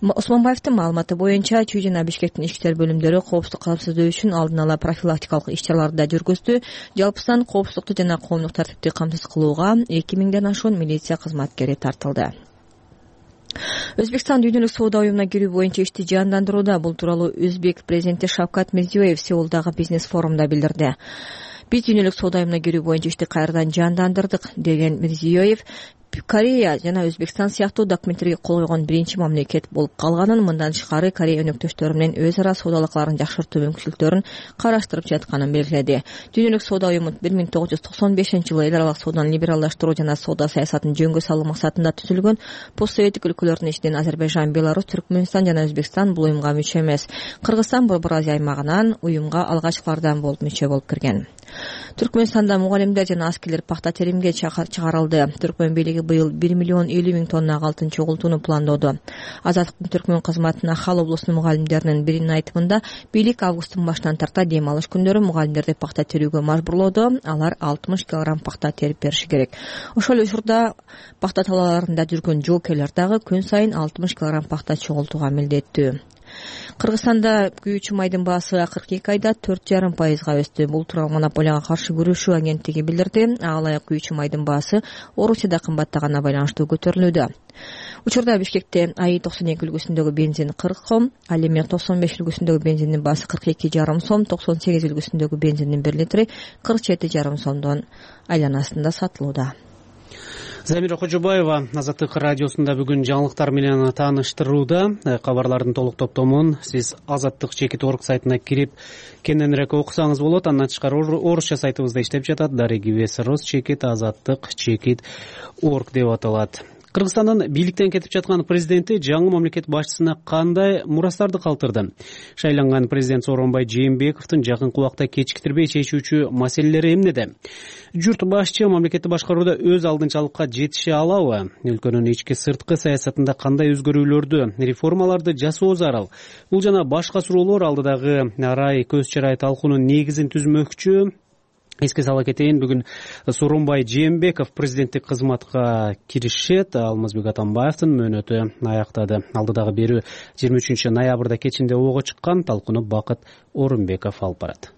Осмонбаевдин маалыматы боюнча Чүй жана Бишкектин ички иштер бөлүмдөрү коопсуздук камсыздоо үчүн алдын ала профилактикалык иш-чараларды да жүргүздү. Жалпысынан коопсуздукту жана коомдук тартипти камсыз кылууга 2000ден ашуун милиция кызматкери тартылды. Өзбекстан дүйнөлүк соода уюмуна кирүү боюнча ишти жандандырууда. Бул тууралуу Өзбек президенти Шавкат Мирзиёев Сеулдагы бизнес форумда билдирди. Биз дүйнөлүк соода уюмуна кирүү боюнча ишти кайрадан жандандырдык деген Мирзиёев Корея жана Өзбекстан сыяктуу документтерге кол койгон биринчи мамлекет болуп калганын, мындан тышкары Корея өнөктөштөрү менен өз ара соода алакаларын жакшыртуу мүмкүнчүлүктөрүн караштырып жатканын белгиледи. Дүйнөлүк соода уюму 1995-жылы эл аралык сооданы либералдаштыруу жана соода саясатын жөнгө салуу максатында түзүлгөн. Постсоветтик өлкөлөрдүн ичинен Азербайжан, Беларусь, Түркмөнстан жана Өзбекстан бул уюмга мүчө эмес. Кыргызстан Борбор Азия аймагынан уюмга алгачкылардан болуп мүчө болуп кирген. Түркмөнстанда мугалимдер жана аскерлер пахта теримге чыгарылды. Түркмөн бийлиги быйыл 1 миллион 50 миң тонна алтын чогултууну пландоодо. Азаттыктын Түркмөн кызматына Хал облусунун мугалимдеринин биринин айтымында бийлик августтун башынан тарта дем алыш күндөрү мугалимдерди пахта терүүгө мажбурлоодо. Алар 60 килограмм пахта терип бериши керек. Ошол учурда пахта талааларында жүргөн жоокерлер дагы күн сайын 60 килограмм пахта чогултууга милдеттүү. Кыргызстанда күйүүчү майдын баасы акыркы 2 айда 4,5%-га өстү. Бул тууралуу монополияга каршы күрөшүү агенттиги билдирди. Алай күйүүчү майдын баасы Орусияда кымбаттаганына байланыштуу көтөрүлүүдө. Учурда Бишкекте АИ 92 үлгүсүндөгү бензин 40 сом, ал эми 95 үлгүсүндөгү бензиндин баасы 42,5 сом, 98 үлгүсүндөгү бензиндин 1 литри 47,5 сомдон айланасында сатылууда. Замира Кожобаева Азаттык радиосунда бүгүн жаңылыктар менен тааныштырууда. Кабарлардын толук топтомун сиз azattik.org сайтына кирип кененирээк окусаңыз болот. Андан тышкары орусча сайтыбызда иштеп жатат. darigivs.rus/azattik.org деп аталат. Кыргызстандын бийликтен кетип жаткан президенти жаңы мамлекет башчысына кандай мурастарды калтырды? Шайланган президент Сооронбай Жээнбековдун жакынкы убакта кечиктирбей чечүүчү маселелери эмнеде? Журт башчы мамлекетти башкарууда өз алдынчалыкка жетише алабы? Өлкөнүн ички сырткы саясатында кандай өзгөрүүлөрдү, реформаларды жасоо зарыл? Бул жана башка суроолор алдыдагы арай көз чарай талкуунун негизин түзмөкчү. Эске сала кетейин, бүгүн Сооронбай Жээнбеков президенттик кызматка киришет. Алмазбек Атамбаевдин мөөнөтү аяктады. Алдыдагы берүү 23 ноябрда кечинде ого чыккан. Талкууну Бакыт Орунбеков алып барат.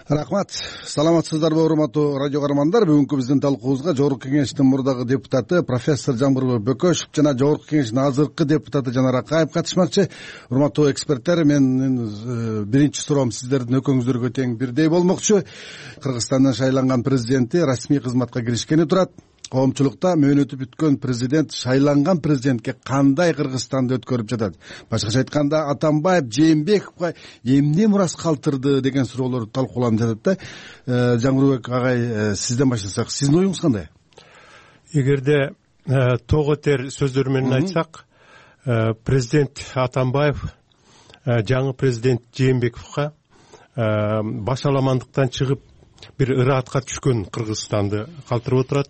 Рахмат. Саламатсыздарбы, урматтуу радио каармандар? Бүгүнкү биздин талкуубузга Жогорку кеңештин мурдагы депутаты профессор Жамбырбек Бөкөшев жана Жогорку кеңештин азыркы депутаты Жанар Акаев катышмакчы. Урматтуу эксперттер, менин биринчи суроом сиздердин өкөңүздөргө тең бирдей болмокчу. Кыргызстандын шайланган президенти расмий кызматка киришкени турат. Коомчулукта мөөнөтү бүткөн президент шайланган президентке кандай Кыргызстанды өткөрүп жатат? Башкача айтканда, Атамбаев Жээнбековго эмне мурас калтырды деген суроолор талкууланып жатат да. Жаңырбек агай, сизден баштасак, сиздин оюңуз кандай? Эгерде того тер сөздөр менен айтсак, президент Атамбаев жаңы президент Жээнбековго башаламандыктан чыгып бир ыраатка түшкөн Кыргызстанды калтырып отурат.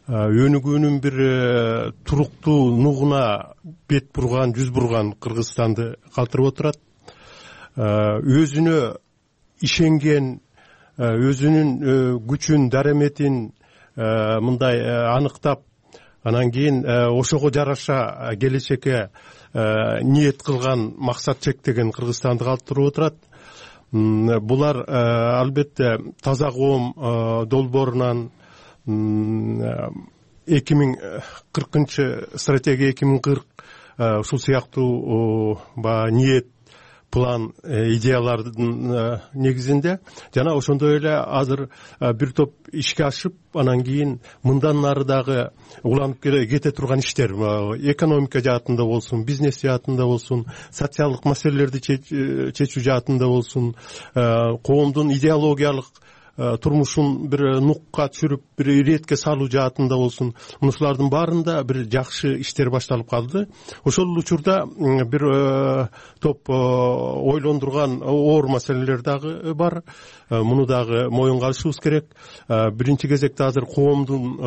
Өнүгүүнүн бир туруктуу нугуна бет бурган, жүз бурган Кыргызстанды калтырып отурат. Өзүнө ишенген, өзүнүн күчүн, дараметин мындай анықтап, анан кийин ошого жараша келечекке ниет кылган, максат чектеген Кыргызстанды калтырып отурат. Булар албетте таза коом долбоорунан 2040 стратегия 2040 ушул сыяктуу ниет, план, идеялардын негизинде жана ошондой эле азыр бир топ ишке ашып, анан кийин мындан нары дагы уланып кете турган иштер, экономика жаатында болсун, бизнес жаатында болсун, социалдык маселелерди чечүү жаатында болсун, коомдун идеологиялык турмушун бир нукка түшүрүп, бир иретке салуу жаатында болсун, мушулардын баарында бир жакшы иштер башталып калды. Ошол учурда бир топ ойлондурган оор маселелер дагы бар. Муну дагы моюнга алышыбыз керек. Биринчи кезекте азыр коомдун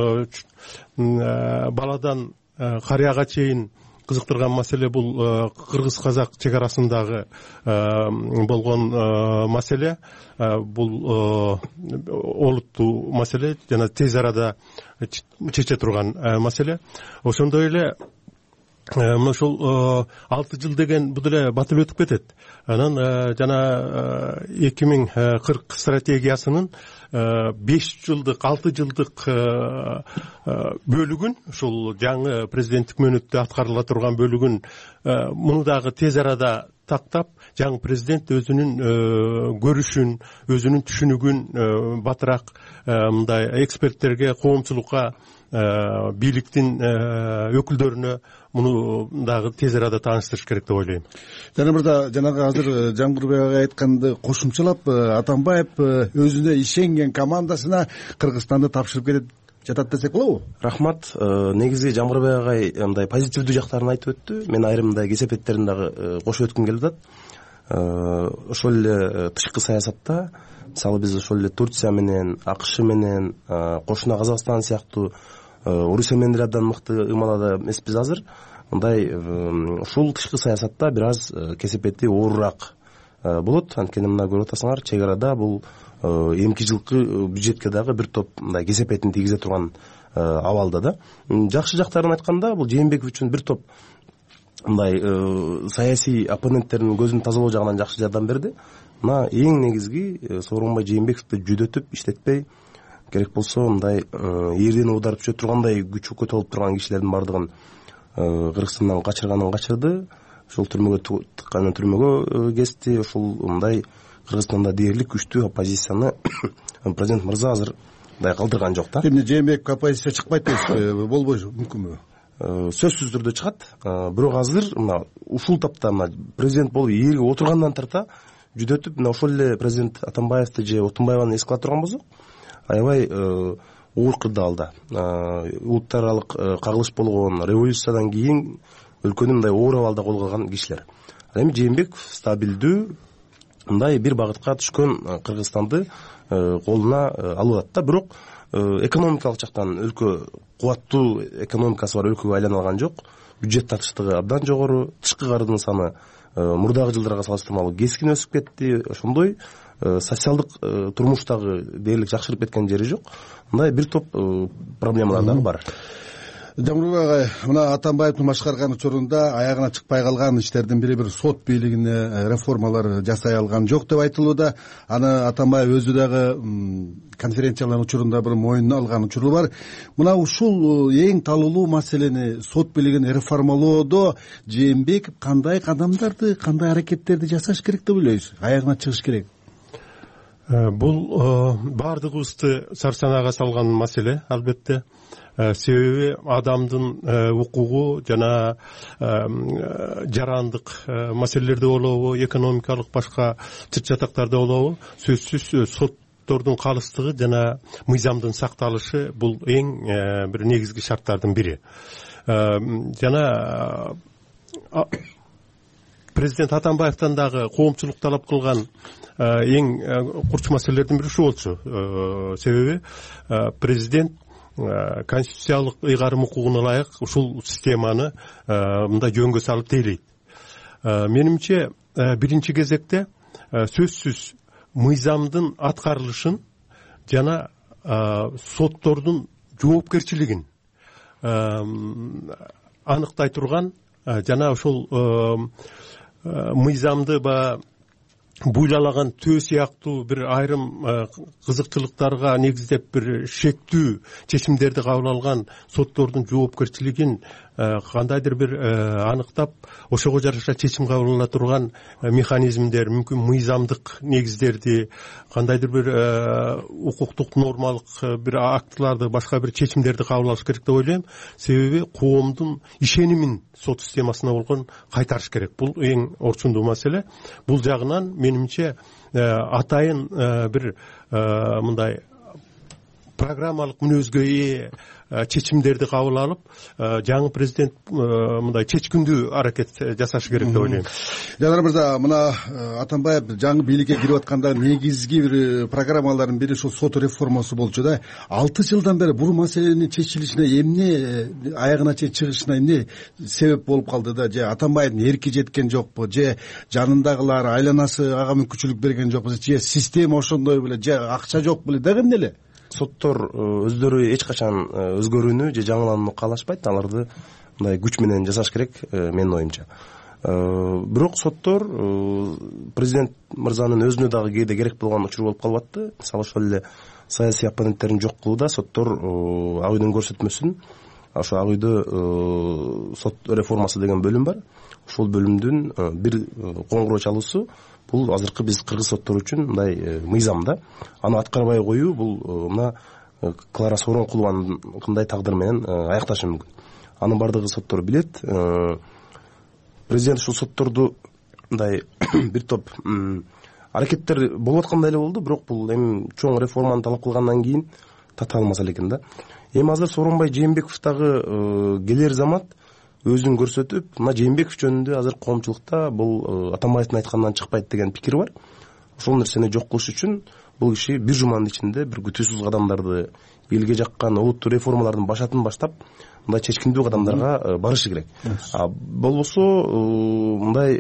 баладан карыяга чейин кызыктырган маселе бул кыргыз-казак чек арасындагы болгон маселе. Бул олуттуу маселе жана тез арада чече турган маселе. Ошондой эле ошол 6 жыл деген бул эле батып өтүп кетет. Анан жана 2040 стратегиясынын 5 жылдык, 6 жылдык бөлүгүн, ушул жаңы президенттик мөөнөттө аткарыла турган бөлүгүн муну дагы тез арада тактап, жаңы президент өзүнүн көрүшүн, өзүнүн түшүнүгүн батыраак мындай эксперттерге, коомчулукка, бийликтин өкүлдөрүнө муну дагы тез арада тааныштырыш керек деп ойлойм. Жана мырда жанагы азыр Жаңбырбек айтканды кошумчалап, Атамбаев өзүнө ишенген командасына Кыргызстанды тапшырып кетет жатат десек болобу? Рахмат. Негизи Жамбырбек агай мындай позитивдүү жактарын айтып өттү. Мен айрым мындай кесепеттерин дагы кошуп өткүм келип атат. Ошол эле тышкы саясатта мисалы биз ошол эле Турция менен, АКШ менен, кошуна Казакстан сыяктуу Орусия менен деле абдан мыкты ымалада эмеспиз азыр. Мындай ушул тышкы саясатта бир аз кесепети оорураак болот. Анткени мына көрүп атасыңар, чек арада бул эмки жылкы бюджетке дагы бир топ мындай кесепетин тийгизе турган абалда да. Жакшы жактарын айтканда, бул Жээнбеков үчүн бир топ мындай саясий оппоненттердин көзүн тазалоо жагынан жакшы жардам берди. Мына эң негизги Сооронбай Жээнбековду жүдөтүп иштетпей, керек болсо мындай эрден ударып түшө тургандай күчү көтө болуп турган кишилердин бардыгын Кыргызстандан качырганын качырды. Ошол түрмөгө тыкканын түрмөгө кести. Ошол мындай Кыргызстанда дээрлик күчтүү оппозицияны президент мырза азыр мындай калтырган жок да. Эмне Жээнбеков оппозиция чыкпайт дейсизби? Болбойбу, мүмкүнбү? Сөзсүз түрдө чыгат. Бирок азыр мына ушул тапта мына президент болуп ээлге отургандан тарта жүдөтүп, мына ошол эле президент Атамбаевди же Отунбаеваны эске ала турган болсок, аябай оор кырдаалда улуттар аралык кагылыш болгон революциядан кийин өлкөнү мындай оор абалда колго алган кишилер. Ал эми Жээнбеков стабилдүү мындай бир багытка түшкөн Кыргызстанды колуна алып атат да. Бирок экономикалык жактан өлкө кубаттуу экономикасы бар өлкөгө айлана алган жок. Бюджет татыштыгы абдан жогору, тышкы кардын саны мурдагы жылдарга салыштырмалуу кескин өсүп кетти. Ошондой социалдык турмуштагы дээрлик жакшырып кеткен жери жок. Мындай бир топ проблемалар дагы бар. Жамбырбек агай, мына Атамбаевдин башкарган учурунда аягына чыкпай калган иштердин бири бир сот бийлигине реформалар жасай алган жок деп айтылууда. Аны Атамбаев өзү дагы конференциялардын учурунда бир мойнуна алган учуру бар. Мына ушул эң талуулуу маселени сот бийлигин реформалоодо Жээнбеков кандай кадамдарды, кандай аракеттерди жасаш керек деп ойлойсуз? Аягына чыгыш керек. Бул баардыгыбызды сарсанага салган маселе, албетте. Себеби адамдын укугу жана жарандык маселелерде болобу, экономикалык башка чыт жатактарда болобу, сөзсүз соттордун калыстыгы жана мыйзамдын сакталышы бул эң бир негизги шарттардын бири. Жана президент Атамбаевден дагы коомчулук талап кылган эң курч маселелердин бири ушул болчу. Себеби президент конституциялык ыйгарым укугуна ылайык ушул системаны мындай жөнгө салып тейлейт. Менимче биринчи кезекте сөзсүз мыйзамдын аткарылышын жана соттордун жоопкерчилигин аныктай турган жана ошол мыйзамды буйлаган төө сыяктуу бир айрым кызыкчылыктарга негиздеп бир шектүү чечимдерди кабыл алган соттордун жоопкерчилигин кандайдыр бир аныктап, ошого жараша чечим кабыл ала турган механизмдер, мүмкүн мыйзамдык негиздерди, кандайдыр бир укуктук нормалык бир актыларды, башка бир чечимдерди кабыл алыш керек деп ойлойм. Себеби коомдун ишенимин сот системасына болгон кайтарыш керек. Бул эң орчундуу маселе. Бул жагынан менимче атайын бир мындай программалык мүнөзгө ээ чечимдерди кабыл алып, жаңы президент мындай чечкиндүү аракет жасашы керек деп ойлойм. Жанар мырза, мына Атамбаев жаңы бийликке кирип атканда негизги бир программалардын бири ушул сот реформасы болчу да. 6 жылдан бери бул маселенин чечилишине эмне, аягына чейин чыгышына эмне себеп болуп калды да? Же Атамбаевдин эрки жеткен жокпу, же жанындагылар, айланасы ага мүмкүнчүлүк берген жокпу, же система ошондой беле, же акча жок беле, дагы эмне эле? Соттор өздөрү эч качан өзгөрүүнү же жаңыланууну каалашпайт. Аларды мындай күч менен жасаш керек, менин оюмча. Бирок соттор президент мырзанын өзүнө дагы кээде керек болгон учур болуп калып атты. Мисалы ошол эле саясий оппоненттерин жок кылууда соттор ак үйдүн көрсөтмөсүн, ошо ак үйдө сот реформасы деген бөлүм бар. Ошол бөлүмдүн бир коңгуроо чалуусу бул азыркы биз кыргыз соттору үчүн мындай мыйзам да. Аны аткарбай коюу бул мына Клара Сооронкулованын тагдыры менен аякташы мүмкүн. Анын бардыгы соттор билет. Президент ушул сотторду мындай бир топ аракеттер болуп аткандай эле болду, бирок бул эми чоң реформаны талап кылгандан кийин татаал маселе экен да. Эми азыр Сооронбай Жээнбеков дагы келер замат өзүн көрсөтүп, мына Жээнбеков жөнүндө азыр коомчулукта бул Атамбаевдин айтканынан чыкпайт деген пикир бар. Ошол нерсени жок кылыш үчүн бул киши бир жуманын ичинде бир күтүүсүз кадамдарды, элге жаккан олуттуу реформалардын башатын баштап, мындай чечкиндүү кадамдарга барышы керек. Болбосо мындай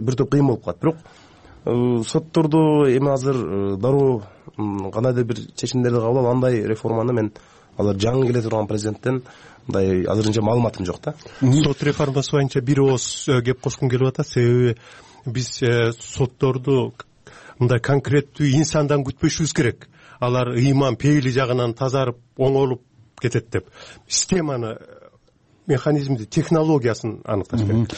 бир топ кыйын болуп калат. Бирок соттордо эми азыр дароо кандайдыр бир чечимдерди кабыл алып, андай реформаны мен азыр жаңы келе турган президенттен мындай азырынча маалыматым жок да. Сот реформасы боюнча бир ооз кеп кошкум келип атат. Себеби биз сотторду мындай конкреттүү инсандан күтпөшүбүз керек. Алар ыйман пейили жагынан тазарып, оңолуп кетет деп. Системаны, механизмди, технологиясын аныкташ керек.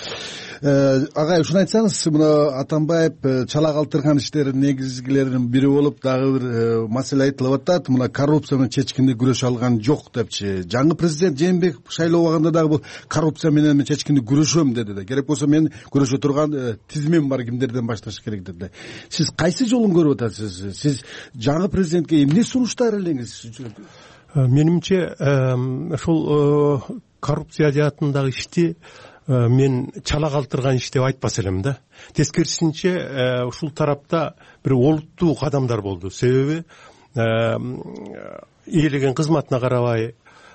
Агай, ушуну айтсаңыз, мына Атамбаев чала калтырган иштердин негизгилеринин бири болуп, дагы бир маселе айтылып атат. Мына коррупция менен чечкиндүү күрөшө алган жок депчи. Жаңы президент Жээнбеков шайлообаганда дагы бул коррупция менен мен чечкиндүү күрөшөм деди да. Керек болсо мен күрөшө турган тизимим бар, кимдерден башташ керек деди. Сиз кайсы жолун көрүп атасыз? Сиз жаңы президентке эмне сунуштар элеңиз? Менимче ошол коррупция жаатындагы ишти мен чала калтырган иш деп айтпас элем да. Тескерисинче ушул тарапта бир олуттуу кадамдар болду. Себеби ээлеген кызматына карабай,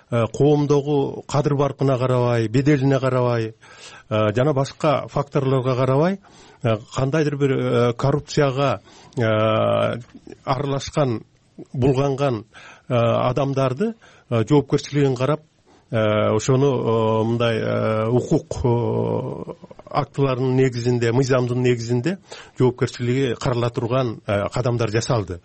коомдогу кадыр баркына карабай, беделине карабай, жана башка факторлорго карабай, кандайдыр бир коррупцияга аралашкан, булганган адамдарды жоопкерчилигин карап, ошону мындай укук актыларынын негизинде, мыйзамдын негизинде жоопкерчилиги карала турган кадамдар жасалды.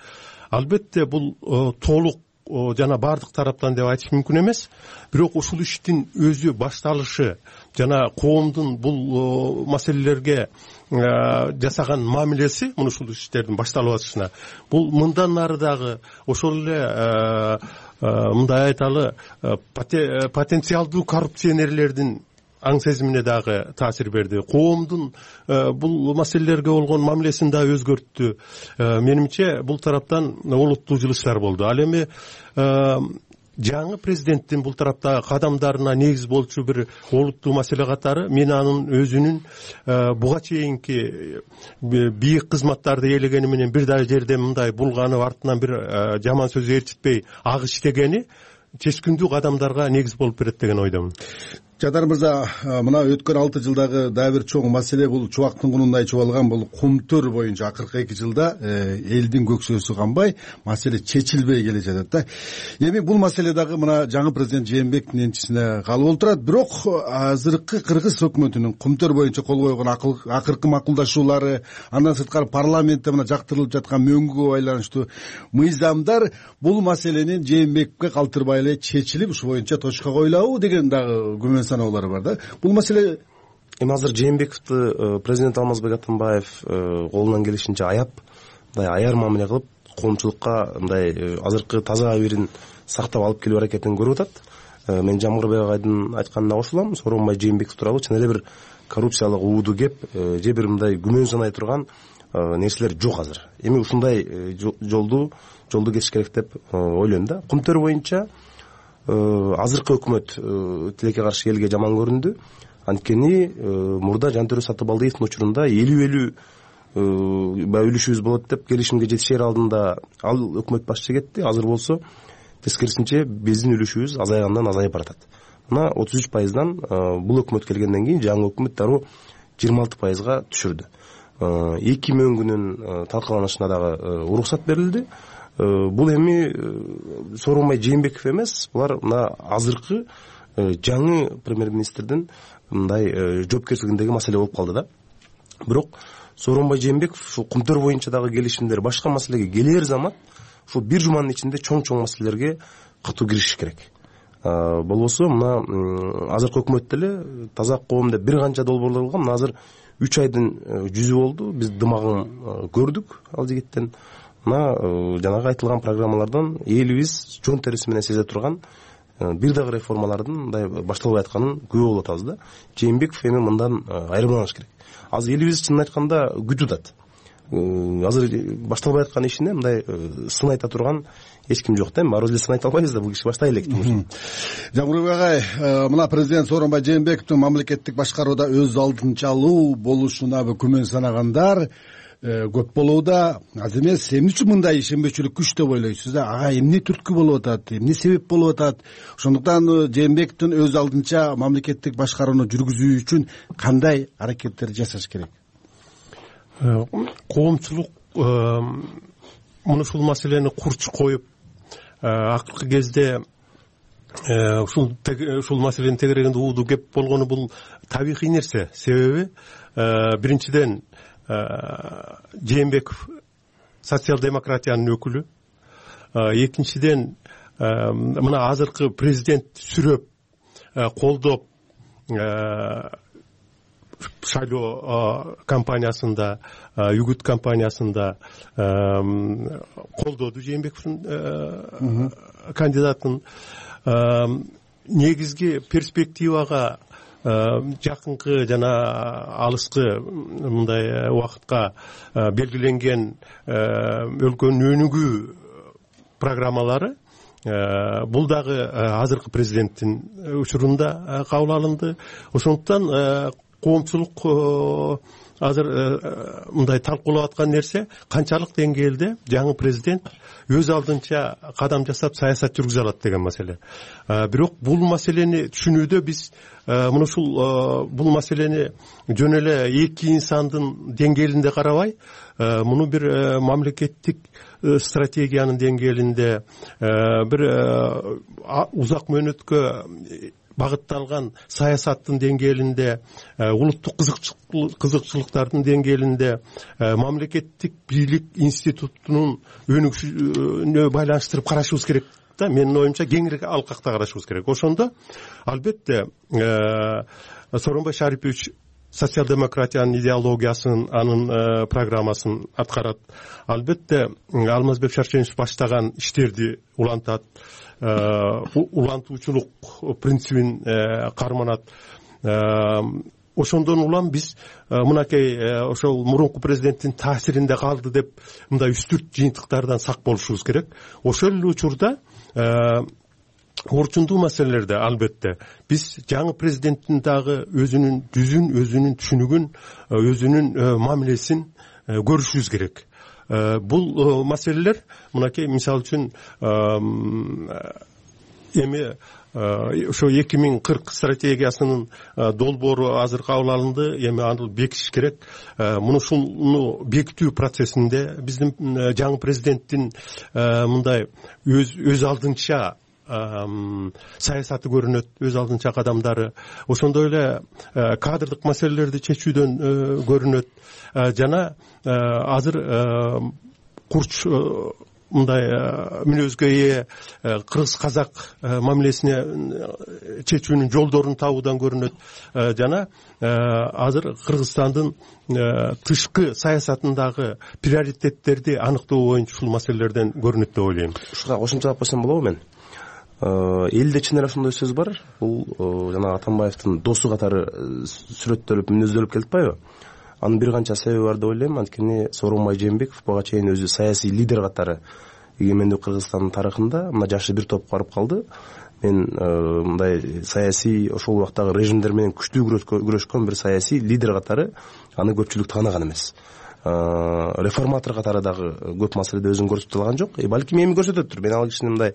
Албетте бул толук жана баардык тараптан деп айтыш мүмкүн эмес. Бирок ушул иштин өзү башталышы жана коомдун бул маселелерге жасаган мамилеси, муну ушул иштердин башталып атышына, бул мындан нары дагы ошол эле мындай айталы потенциалдуу коррупционерлердин аң сезимине дагы таасир берди. Коомдун бул маселелерге болгон мамилесин дагы өзгөрттү. Менимче бул тараптан олуттуу жылыштар болду. Ал эми жаңы президенттин бул тараптагы кадамдарына негиз болчу бир олуттуу маселе катары мен анын өзүнүн буга чейинки бийик кызматтарды ээлегени менен бир да жерде мындай булганып, артынан бир жаман сөз ээрчитпей ак иштегени чечкиндүү кадамдарга негиз болуп берет деген ойдомун. Жадар мырза, мына өткөн 6 жылдагы дагы бир чоң маселе бул чубактын кунундай чубалган бул кумтөр боюнча акыркы 2 жылда элдин көксөөсү канбай, маселе чечилбей келе жатат да. Эми бул маселе дагы мына жаңы президент Жээнбековдун энчисине калып отурат. Бирок азыркы кыргыз өкмөтүнүн кумтөр боюнча кол койгон акыркы макулдашуулары, андан сырткары парламентте мына жактырылып жаткан мөңгүгө байланыштуу мыйзамдар бул маселени Жээнбековге калтырбай эле чечилип, ушу боюнча точка коюлабы деген дагы күмөн саноолары бар да. Бул маселе эми азыр Жээнбековду президент Алмазбек Атамбаев колунан келишинче аяп, мындай аяр мамиле кылып, коомчулукка мындай азыркы таза абийирин сактап алып келүү аракетин көрүп атат. Мен Жамгырбек агайдын айтканына кошулам. Сооронбай Жээнбеков тууралуу чын эле бир коррупциялык ууду кеп, же бир мындай күмөн санай турган нерселер жок азыр. Эми ушундай жолду кесиш керек деп ойлойм да. Кумтөр боюнча азыркы өкмөт тилекке каршы элге жаман көрүндү. Анткени мурда Жантөрө Сатыбалдиевдин учурунда 50-50 үлүшүбүз болот деп келишимге жетишер алдында ал өкмөт башчы кетти. Азыр болсо тескерисинче биздин үлүшүбүз азайгандан азайып баратат. Мына 33%дан бул өкмөт келгенден кийин жаңы өкмөт дароо 26%га түшүрдү. 2 мөңгүнүн талкаланышына дагы уруксат берилди. Бул эми Сооронбай Жээнбеков эмес, булар мына азыркы жаңы премьер-министрдин мындай жоопкерчилигиндеги маселе болуп калды да. Бирок Сооронбай Жээнбеков ушул кумтөр боюнча дагы келишимдер, башка маселеге келер замат ушул бир жуманын ичинде чоң маселелерге катуу киришиш керек. Болбосо мына азыркы өкмөттө эле таза коом деп бир канча долбоорлор болгон. Мына азыр 3 айдын жүзү болду. Биз дымагын көрдүк ал жигиттен. Мына жанагы айтылган программалардан элибиз жон териси менен сезе турган бир дагы реформалардын мындай башталбай атканын күбө болуп атабыз да. Жээнбеков эми мындан айырмаланыш керек. Азыр элибиз чынын айтканда күтүп атат. азыр башталбай аткан ишине мындай сын айта турган эч ким жок да. Эми баарыбыз эле сын айта албайбыз да, бул киши баштай элек. Жамбырбек агай, мына президент Сооронбай Жээнбековдун мамлекеттик башкарууда өз алдынчалуу болушуна күмөн санагандар көп болууда. Аз эмес, эмне үчүн мындай ишенбечүлүк күч деп ойлойсуз да? Ага эмне түрткү болуп атат, эмне себеп болуп атат? Ошондуктан Жээнбековдун өз алдынча мамлекеттик башкарууну жүргүзүү үчүн кандай аракеттер жасаш керек? Коомчулук ушул маселени курч коюп, акыркы кезде ушул маселенин тегерегинде ууду кеп болгону бул табигый нерсе. Себеби биринчиден Жээнбеков социал-демократиянын өкүлү, экинчиден мына азыркы президент сүрөп колдоп шайлоо кампаниясында, үгүт кампаниясында колдоду Жээнбековдун кандидатын. Негизги перспективага жакынкы жана алыскы мындай убакытка белгиленген өлкөнүн өнүгүү программалары бул дагы азыркы президенттин учурунда кабыл алынды. Ошондуктан коомчулук азыр мындай талкуулап аткан нерсе канчалык деңгээлде жаңы президент өз алдынча кадам жасап саясат жүргүзө алат деген маселе. Бирок бул маселени түшүнүүдө биз мына ушул бул маселени жөн эле эки инсандын деңгээлинде карабай, муну бир мамлекеттик стратегиянын деңгээлинде, бир узак мөөнөткө багытталган саясаттын деңгээлинде, улуттук кызыкчылыктардын деңгээлинде, мамлекеттик бийлик институтунун өнүгүшүнө байланыштырып карашыбыз керек да. Менин оюмча кеңири алкакта карашыбыз керек. Ошондо албетте Сооронбай Шарипович социал-демократиянын идеологиясын, анын программасын аткарат. Албетте Алмазбек Шарченович баштаган иштерди улантат, улантуучулук принцибин карманат. Ошондон улам биз мынакей ошол мурунку президенттин таасиринде калды деп мындай үстүрт жыйынтыктардан сак болушубуз керек. Ошол эле учурда орчундуу маселелерде албетте биз жаңы президенттин дагы өзүнүн жүзүн, өзүнүн түшүнүгүн, өзүнүн мамилесин көрүшүбүз керек. Бул маселелер мынакей мисалы үчүн эми ошо 2040 стратегиясынын долбоору азыр кабыл алынды. Эми аны бекитиш керек. Мунушуну бекитүү процессинде биздин жаңы президенттин мындай өз алдынча саясаты көрүнөт, өз алдынча кадамдары. Ошондой эле кадрдык маселелерди чечүүдөн көрүнөт. Жана азыр курч мындай мүнөзгө ээ кыргыз казак мамилесине чечүүнүн жолдорун табуудан көрүнөт. Жана азыр Кыргызстандын тышкы саясатындагы приоритеттерди аныктоо боюнча ушул маселелерден көрүнөт деп ойлойм. Ушуга кошумчалап койсом болобу мен? Элде чын эле ошондой сөз бар. Бул жана Атамбаевдин досу катары сүрөттөлүп, мүнөздөлүп келип атпайбы? Анын бир канча себеби бар деп ойлойм. Анткени Сооронбай Жээнбеков буга чейин өзү саясий лидер катары эгемендүү Кыргызстандын тарыхында мына жашы бир топ барып калды. Мен мындай саясий ошол убактагы режимдер менен күчтүү күрөшкөн бир саясий лидер катары аны көпчүлүк тааныган эмес. Реформатор катары дагы көп маселеде өзүн көрсөтө алган жок. Балким эми көрсөтөттүр. Мен ал кишини мындай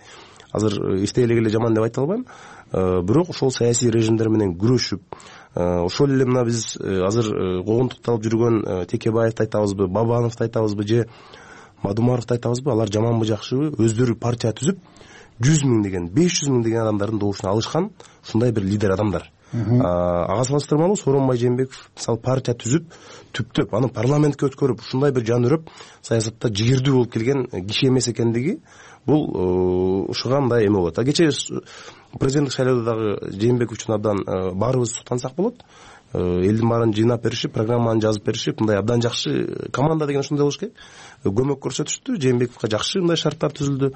азыр иштей эле жаман деп айта албайм. Бирок ошол саясий режимдер менен күрөшүп, ошол эле мына биз азыр когунтукталып жүргөн Текебаевди айтабызбы, Бабановду айтабызбы же Мадумаровду айтабызбы, алар жаманбы жакшыбы өздөрү партия түзүп 100 миң деген, 500 миң деген адамдардын добушуна алышкан ушундай бир лидер адамдар. Ага салыштырмалуу Сооронбай Жээнбеков мисалы партия түзүп, түптөп аны парламентке өткөрүп, ушундай бир жан үрөп саясатта жигердүү болуп келген киши эмес экендиги бул ушуга мындай эме болот. Кечээ президенттик шайлоодо дагы Жээнбеков үчүн абдан баарыбыз суктансак болот. Элдин баарын жыйнап беришип, программаны жазып беришип, мындай абдан жакшы команда деген ушундай болуш керек. Көмөк көрсөтүштү. Жээнбековго жакшы мындай шарттар түзүлдү.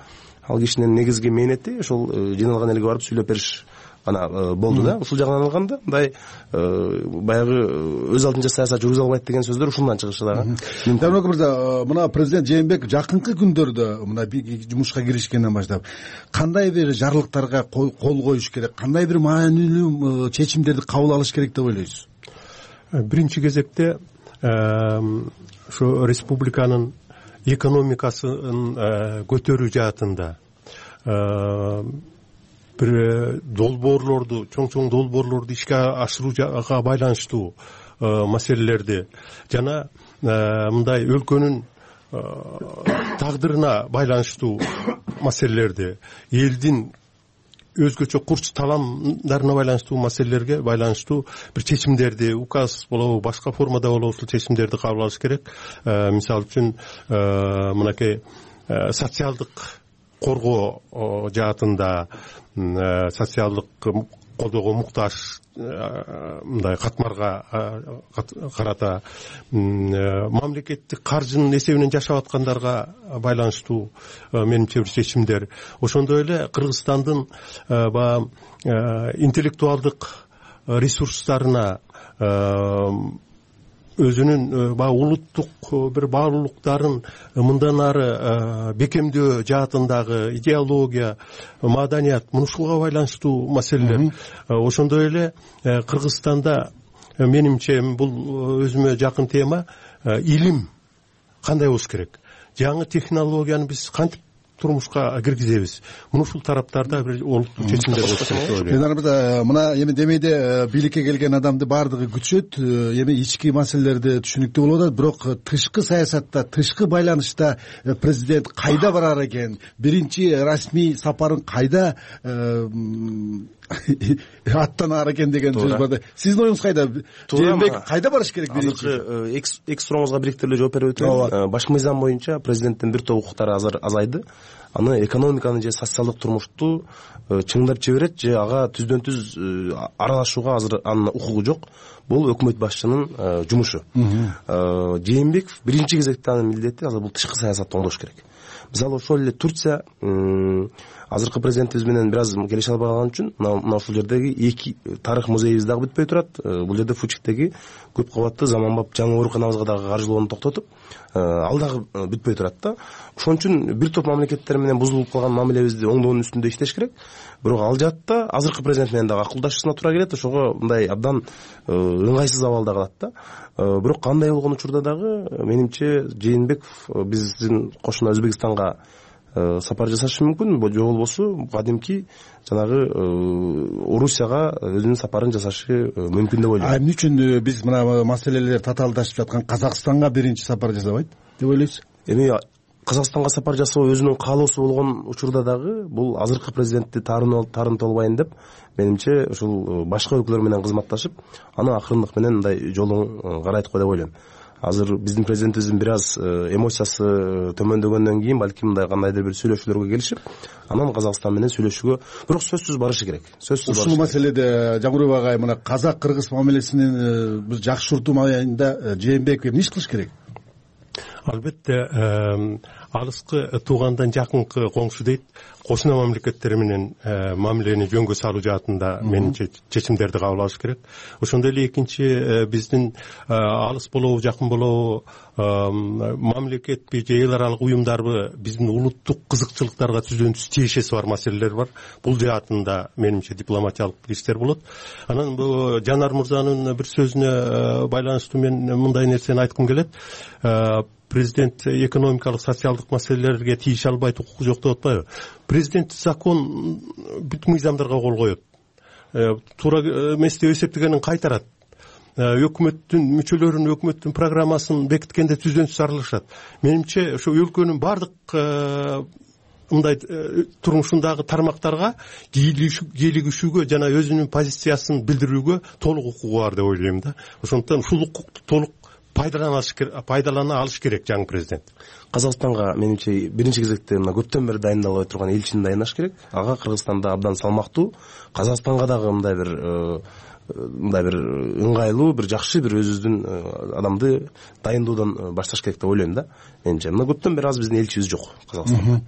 Ал кишинин негизги мээнети ошол жыйналган элге барып сүйлөп бериш гана болду да. Ушул жагынан алганда мындай баягы өз алдынча саясат жүргүзө албайт деген сөздөр ушундан чыгышы дагы. Жээнбеков мырза, мына президент Жээнбеков жакынкы күндөрдө мына жумушка киришкенден баштап кандай бир жарлыктарга кол коюш керек, кандай бир маанилүү чечимдерди кабыл алыш керек деп ойлойсуз? Биринчи кезекте ошо республиканын экономикасын көтөрүү жаатында бир долбоорлорду, чоң долбоорлорду ишке ашырууга байланыштуу маселелерди жана мындай өлкөнүн тагдырына байланыштуу маселелерди, элдин өзгөчө курч таламдарына байланыштуу маселелерге байланыштуу бир чечимдерди, указ болобу, башка формада болобу ушул чечимдерди кабыл алыш керек. Мисалы үчүн мынакей социалдык коргоо жаатында, социалдык колдоого муктаж мындай катмарга карата, мамлекеттик каржынын эсебинен жашап аткандарга байланыштуу менимче бир чечимдер. Ошондой эле Кыргызстандын баягы интеллектуалдык ресурстарына, өзүнүн баягы улуттук бир баалуулуктарын мындан ары бекемдөө жаатындагы идеология, маданият, мушуга байланыштуу маселелер. Ошондой эле Кыргызстанда менимче бул өзүмө жакын тема, илим кандай болуш керек, жаңы технологияны биз кантип турмушка киргизебиз. Ушул тараптарда бир олуттуу чечимдер болуш керек деп ойлойм. Мына мына эми демейде бийликке келген адамды баардыгы күтүшөт, эми ички маселелерди түшүнүктүү болуп атат, бирок тышкы саясатта, тышкы байланышта президент кайда барар экен, биринчи расмий сапарын кайда аттанаар экен деген сөз бар. Сиздин оюңуз кайда? Жээнбеков кайда барыш керек биринчи? Эки сурооңузга бириктириле жооп берип өтөйүн. Баш мыйзам боюнча президенттин бир топ укуктары азыр азайды. Аны экономиканы же социалдык турмушту чыңдап жиберет же ага түздөн түз аралашууга азыр анын укугу жок. Бул өкмөт башчынын жумушу. Жээнбеков биринчи кезекте анын милдети азыр бул тышкы саясатты оңдош керек. Мисалы ошол эле Турция азыркы президентибиз менен бир аз келише албай калган үчүн мына ушул жердеги эки тарых музейибиз дагы бүтпөй турат. Бул жерде Фучиктеги көп кабаттуу заманбап жаңы ооруканабызга дагы каржылоону токтотуп, ал дагы бүтпөй турат да. Ошон үчүн бир топ мамлекеттер менен бузулуп калган мамилебизди оңдоонун үстүндө иштеш керек. Бирок ал жаатта азыркы президент менен дагы акылдашуусуна туура келет. Ошого мындай абдан ыңгайсыз абалда калат да. Бирок кандай болгон учурда дагы менимче Жээнбеков биздин кошуна Өзбекстанга сапар жасашы мүмкүн, же болбосо кадимки жанагы Орусияга өзүнүн сапарын жасашы мүмкүн деп ойлойм. Эмне үчүн биз мына маселелер татаалдашып жаткан Казакстанга биринчи сапар жасабайт деп ойлойсуз? Эми Казакстанга сапар жасоо өзүнүн каалоосу болгон учурда дагы бул азыркы президентти тарынтып албайын деп, менимче ушул башка өлкөлөр менен кызматташып, аны акырындык менен мындай жолун карайт го деп ойлойм. Азыр биздин президентибиздин бир аз эмоциясы төмөндөгөндөн кийин балким мындай кандайдыр бир сүйлөшүүлөргө келишип, анан Казакстан менен сүйлөшүүгө, бирок сөзсүз барышы керек. Ушул маселеде Жамбырбек агай, мына казак-кыргыз мамилесинин бир жакшыртуу маалында Жээнбеков эмне иш кылыш керек? Албетте алыскы туугандан жакынкы коңшу дейт, кошуна мамлекеттер менен мамилени жөнгө салуу жаатында менимче чечимдерди кабыл алыш керек. Ошондой эле экинчи биздин алыс болобу, жакын болобу, мамлекетпи же эл аралык уюмдарбы биздин улуттук кызыкчылыктарга түздөн түз тиешеси бар маселелер бар. Бул жаатында менимче дипломатиялык иштер болот. Анан бул Жанар мырзанын бир сөзүнө байланыштуу мен мындай нерсени айткым келет. Президент экономикалык, социалдык маселелерге тийише албайт, укугу жок деп атпайбы? Президент закон бүт мыйзамдарга кол коет. Туура эмес деп эсептегенин кайтарат. Өкмөттүн мүчөлөрүн, өкмөттүн программасын бекиткенде түздөн түз аралашат. Менимче ошо өлкөнүн бардык мындай турмушундагы тармактарга кийлигишүүгө жана өзүнүн позициясын билдирүүгө толук укугу бар деп ойлойм да. Ошондуктан ушул укукту толук пайдалана алыш керек жаңы президент. Казакстанга менимче биринчи кезекте мына көптөн бери дайындалбай турган элчини дайындаш керек. Ага Кыргызстанда абдан салмактуу, Казакстанга дагы мындай бир ыңгайлуу, бир жакшы бир өзүбүздүн адамды дайындоодон башташ керек деп ойлойм да. Менимче мына көптөн бери аз биздин элчибиз жок Казакстанда.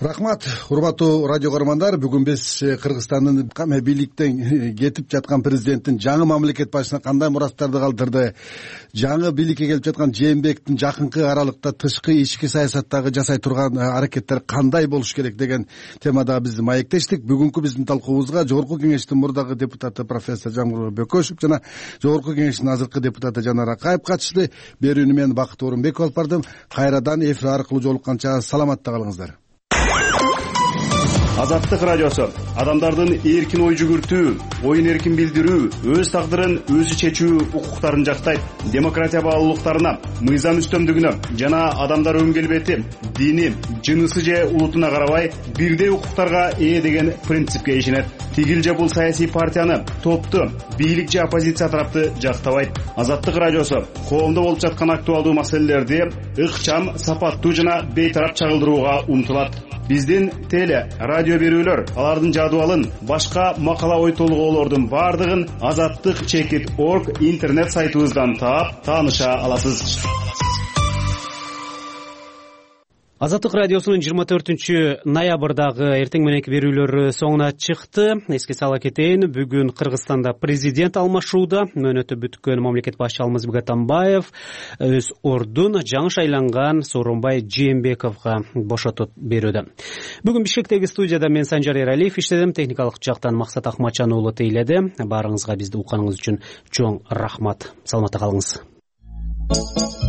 Рахмат, урматтуу радио көрөрмандар. Бүгүн биз Кыргызстандын бийликтен кетип жаткан президенттин жаңы мамлекет башчысына кандай мураттарды калтырды, жаңы бийликке келип жаткан Жээнбековдун жакынкы аралыкта тышкы ички саясаттагы жасай турган аракеттер кандай болуш керек деген темада биз маектештик. Бүгүнкү биздин талкуубузга Жогорку Кеңештин мурдагы депутаты профессор Жамбырбек Бөкөшев жана Жогорку Кеңештин азыркы депутаты Жанар Акаев катышты. Берүүнү мен Бакыт Орунбеков алып бардым. Кайрадан эфир аркылуу жолукканча саламатта калыңыздар. Азаттык радиосу адамдардын эркин ой жүгүртүү, оюн эркин билдирүү, өз тагдырын өзү чечүү укуктарын жактайт. Демократия баалуулуктарына, мыйзам үстөмдүгүнө жана адамдар өн келбети, дини, жынысы же улутуна карабай бирдей укуктарга ээ деген принципке ишенет. Тигил же бул саясий партияны, топту, бийлик же оппозиция тарапты жактабайт. Азаттык радиосу коомдо болуп жаткан актуалдуу маселелерди ыкчам, сапаттуу жана бейтарап чагылдырууга умтулат. Биздин теле, радио берүүлөр, алардын жадыбалын, башка макала ой толгоолордун бардыгын azattik.org интернет сайтыбыздан таап, тааныша аласыз. Азаттык радиосунун 24 ноябрдагы эртең мененки берүүлөрү соңуна чыкты. Эске сала кетейин, бүгүн Кыргызстанда президент алмашууда. Мөөнөтү бүткөн мамлекет башчы Алмазбек Атамбаев өз ордун жаңы шайланган Сооронбай Жээнбековго бошотуп берүүдө. Бүгүн Бишкектеги студияда мен Санжар Эралиев иштедим, техникалык жактан Максат Акмачан уулу тейледи. Баарыңызга бизди укканыңыз үчүн чоң рахмат. Саламатта калыңыз.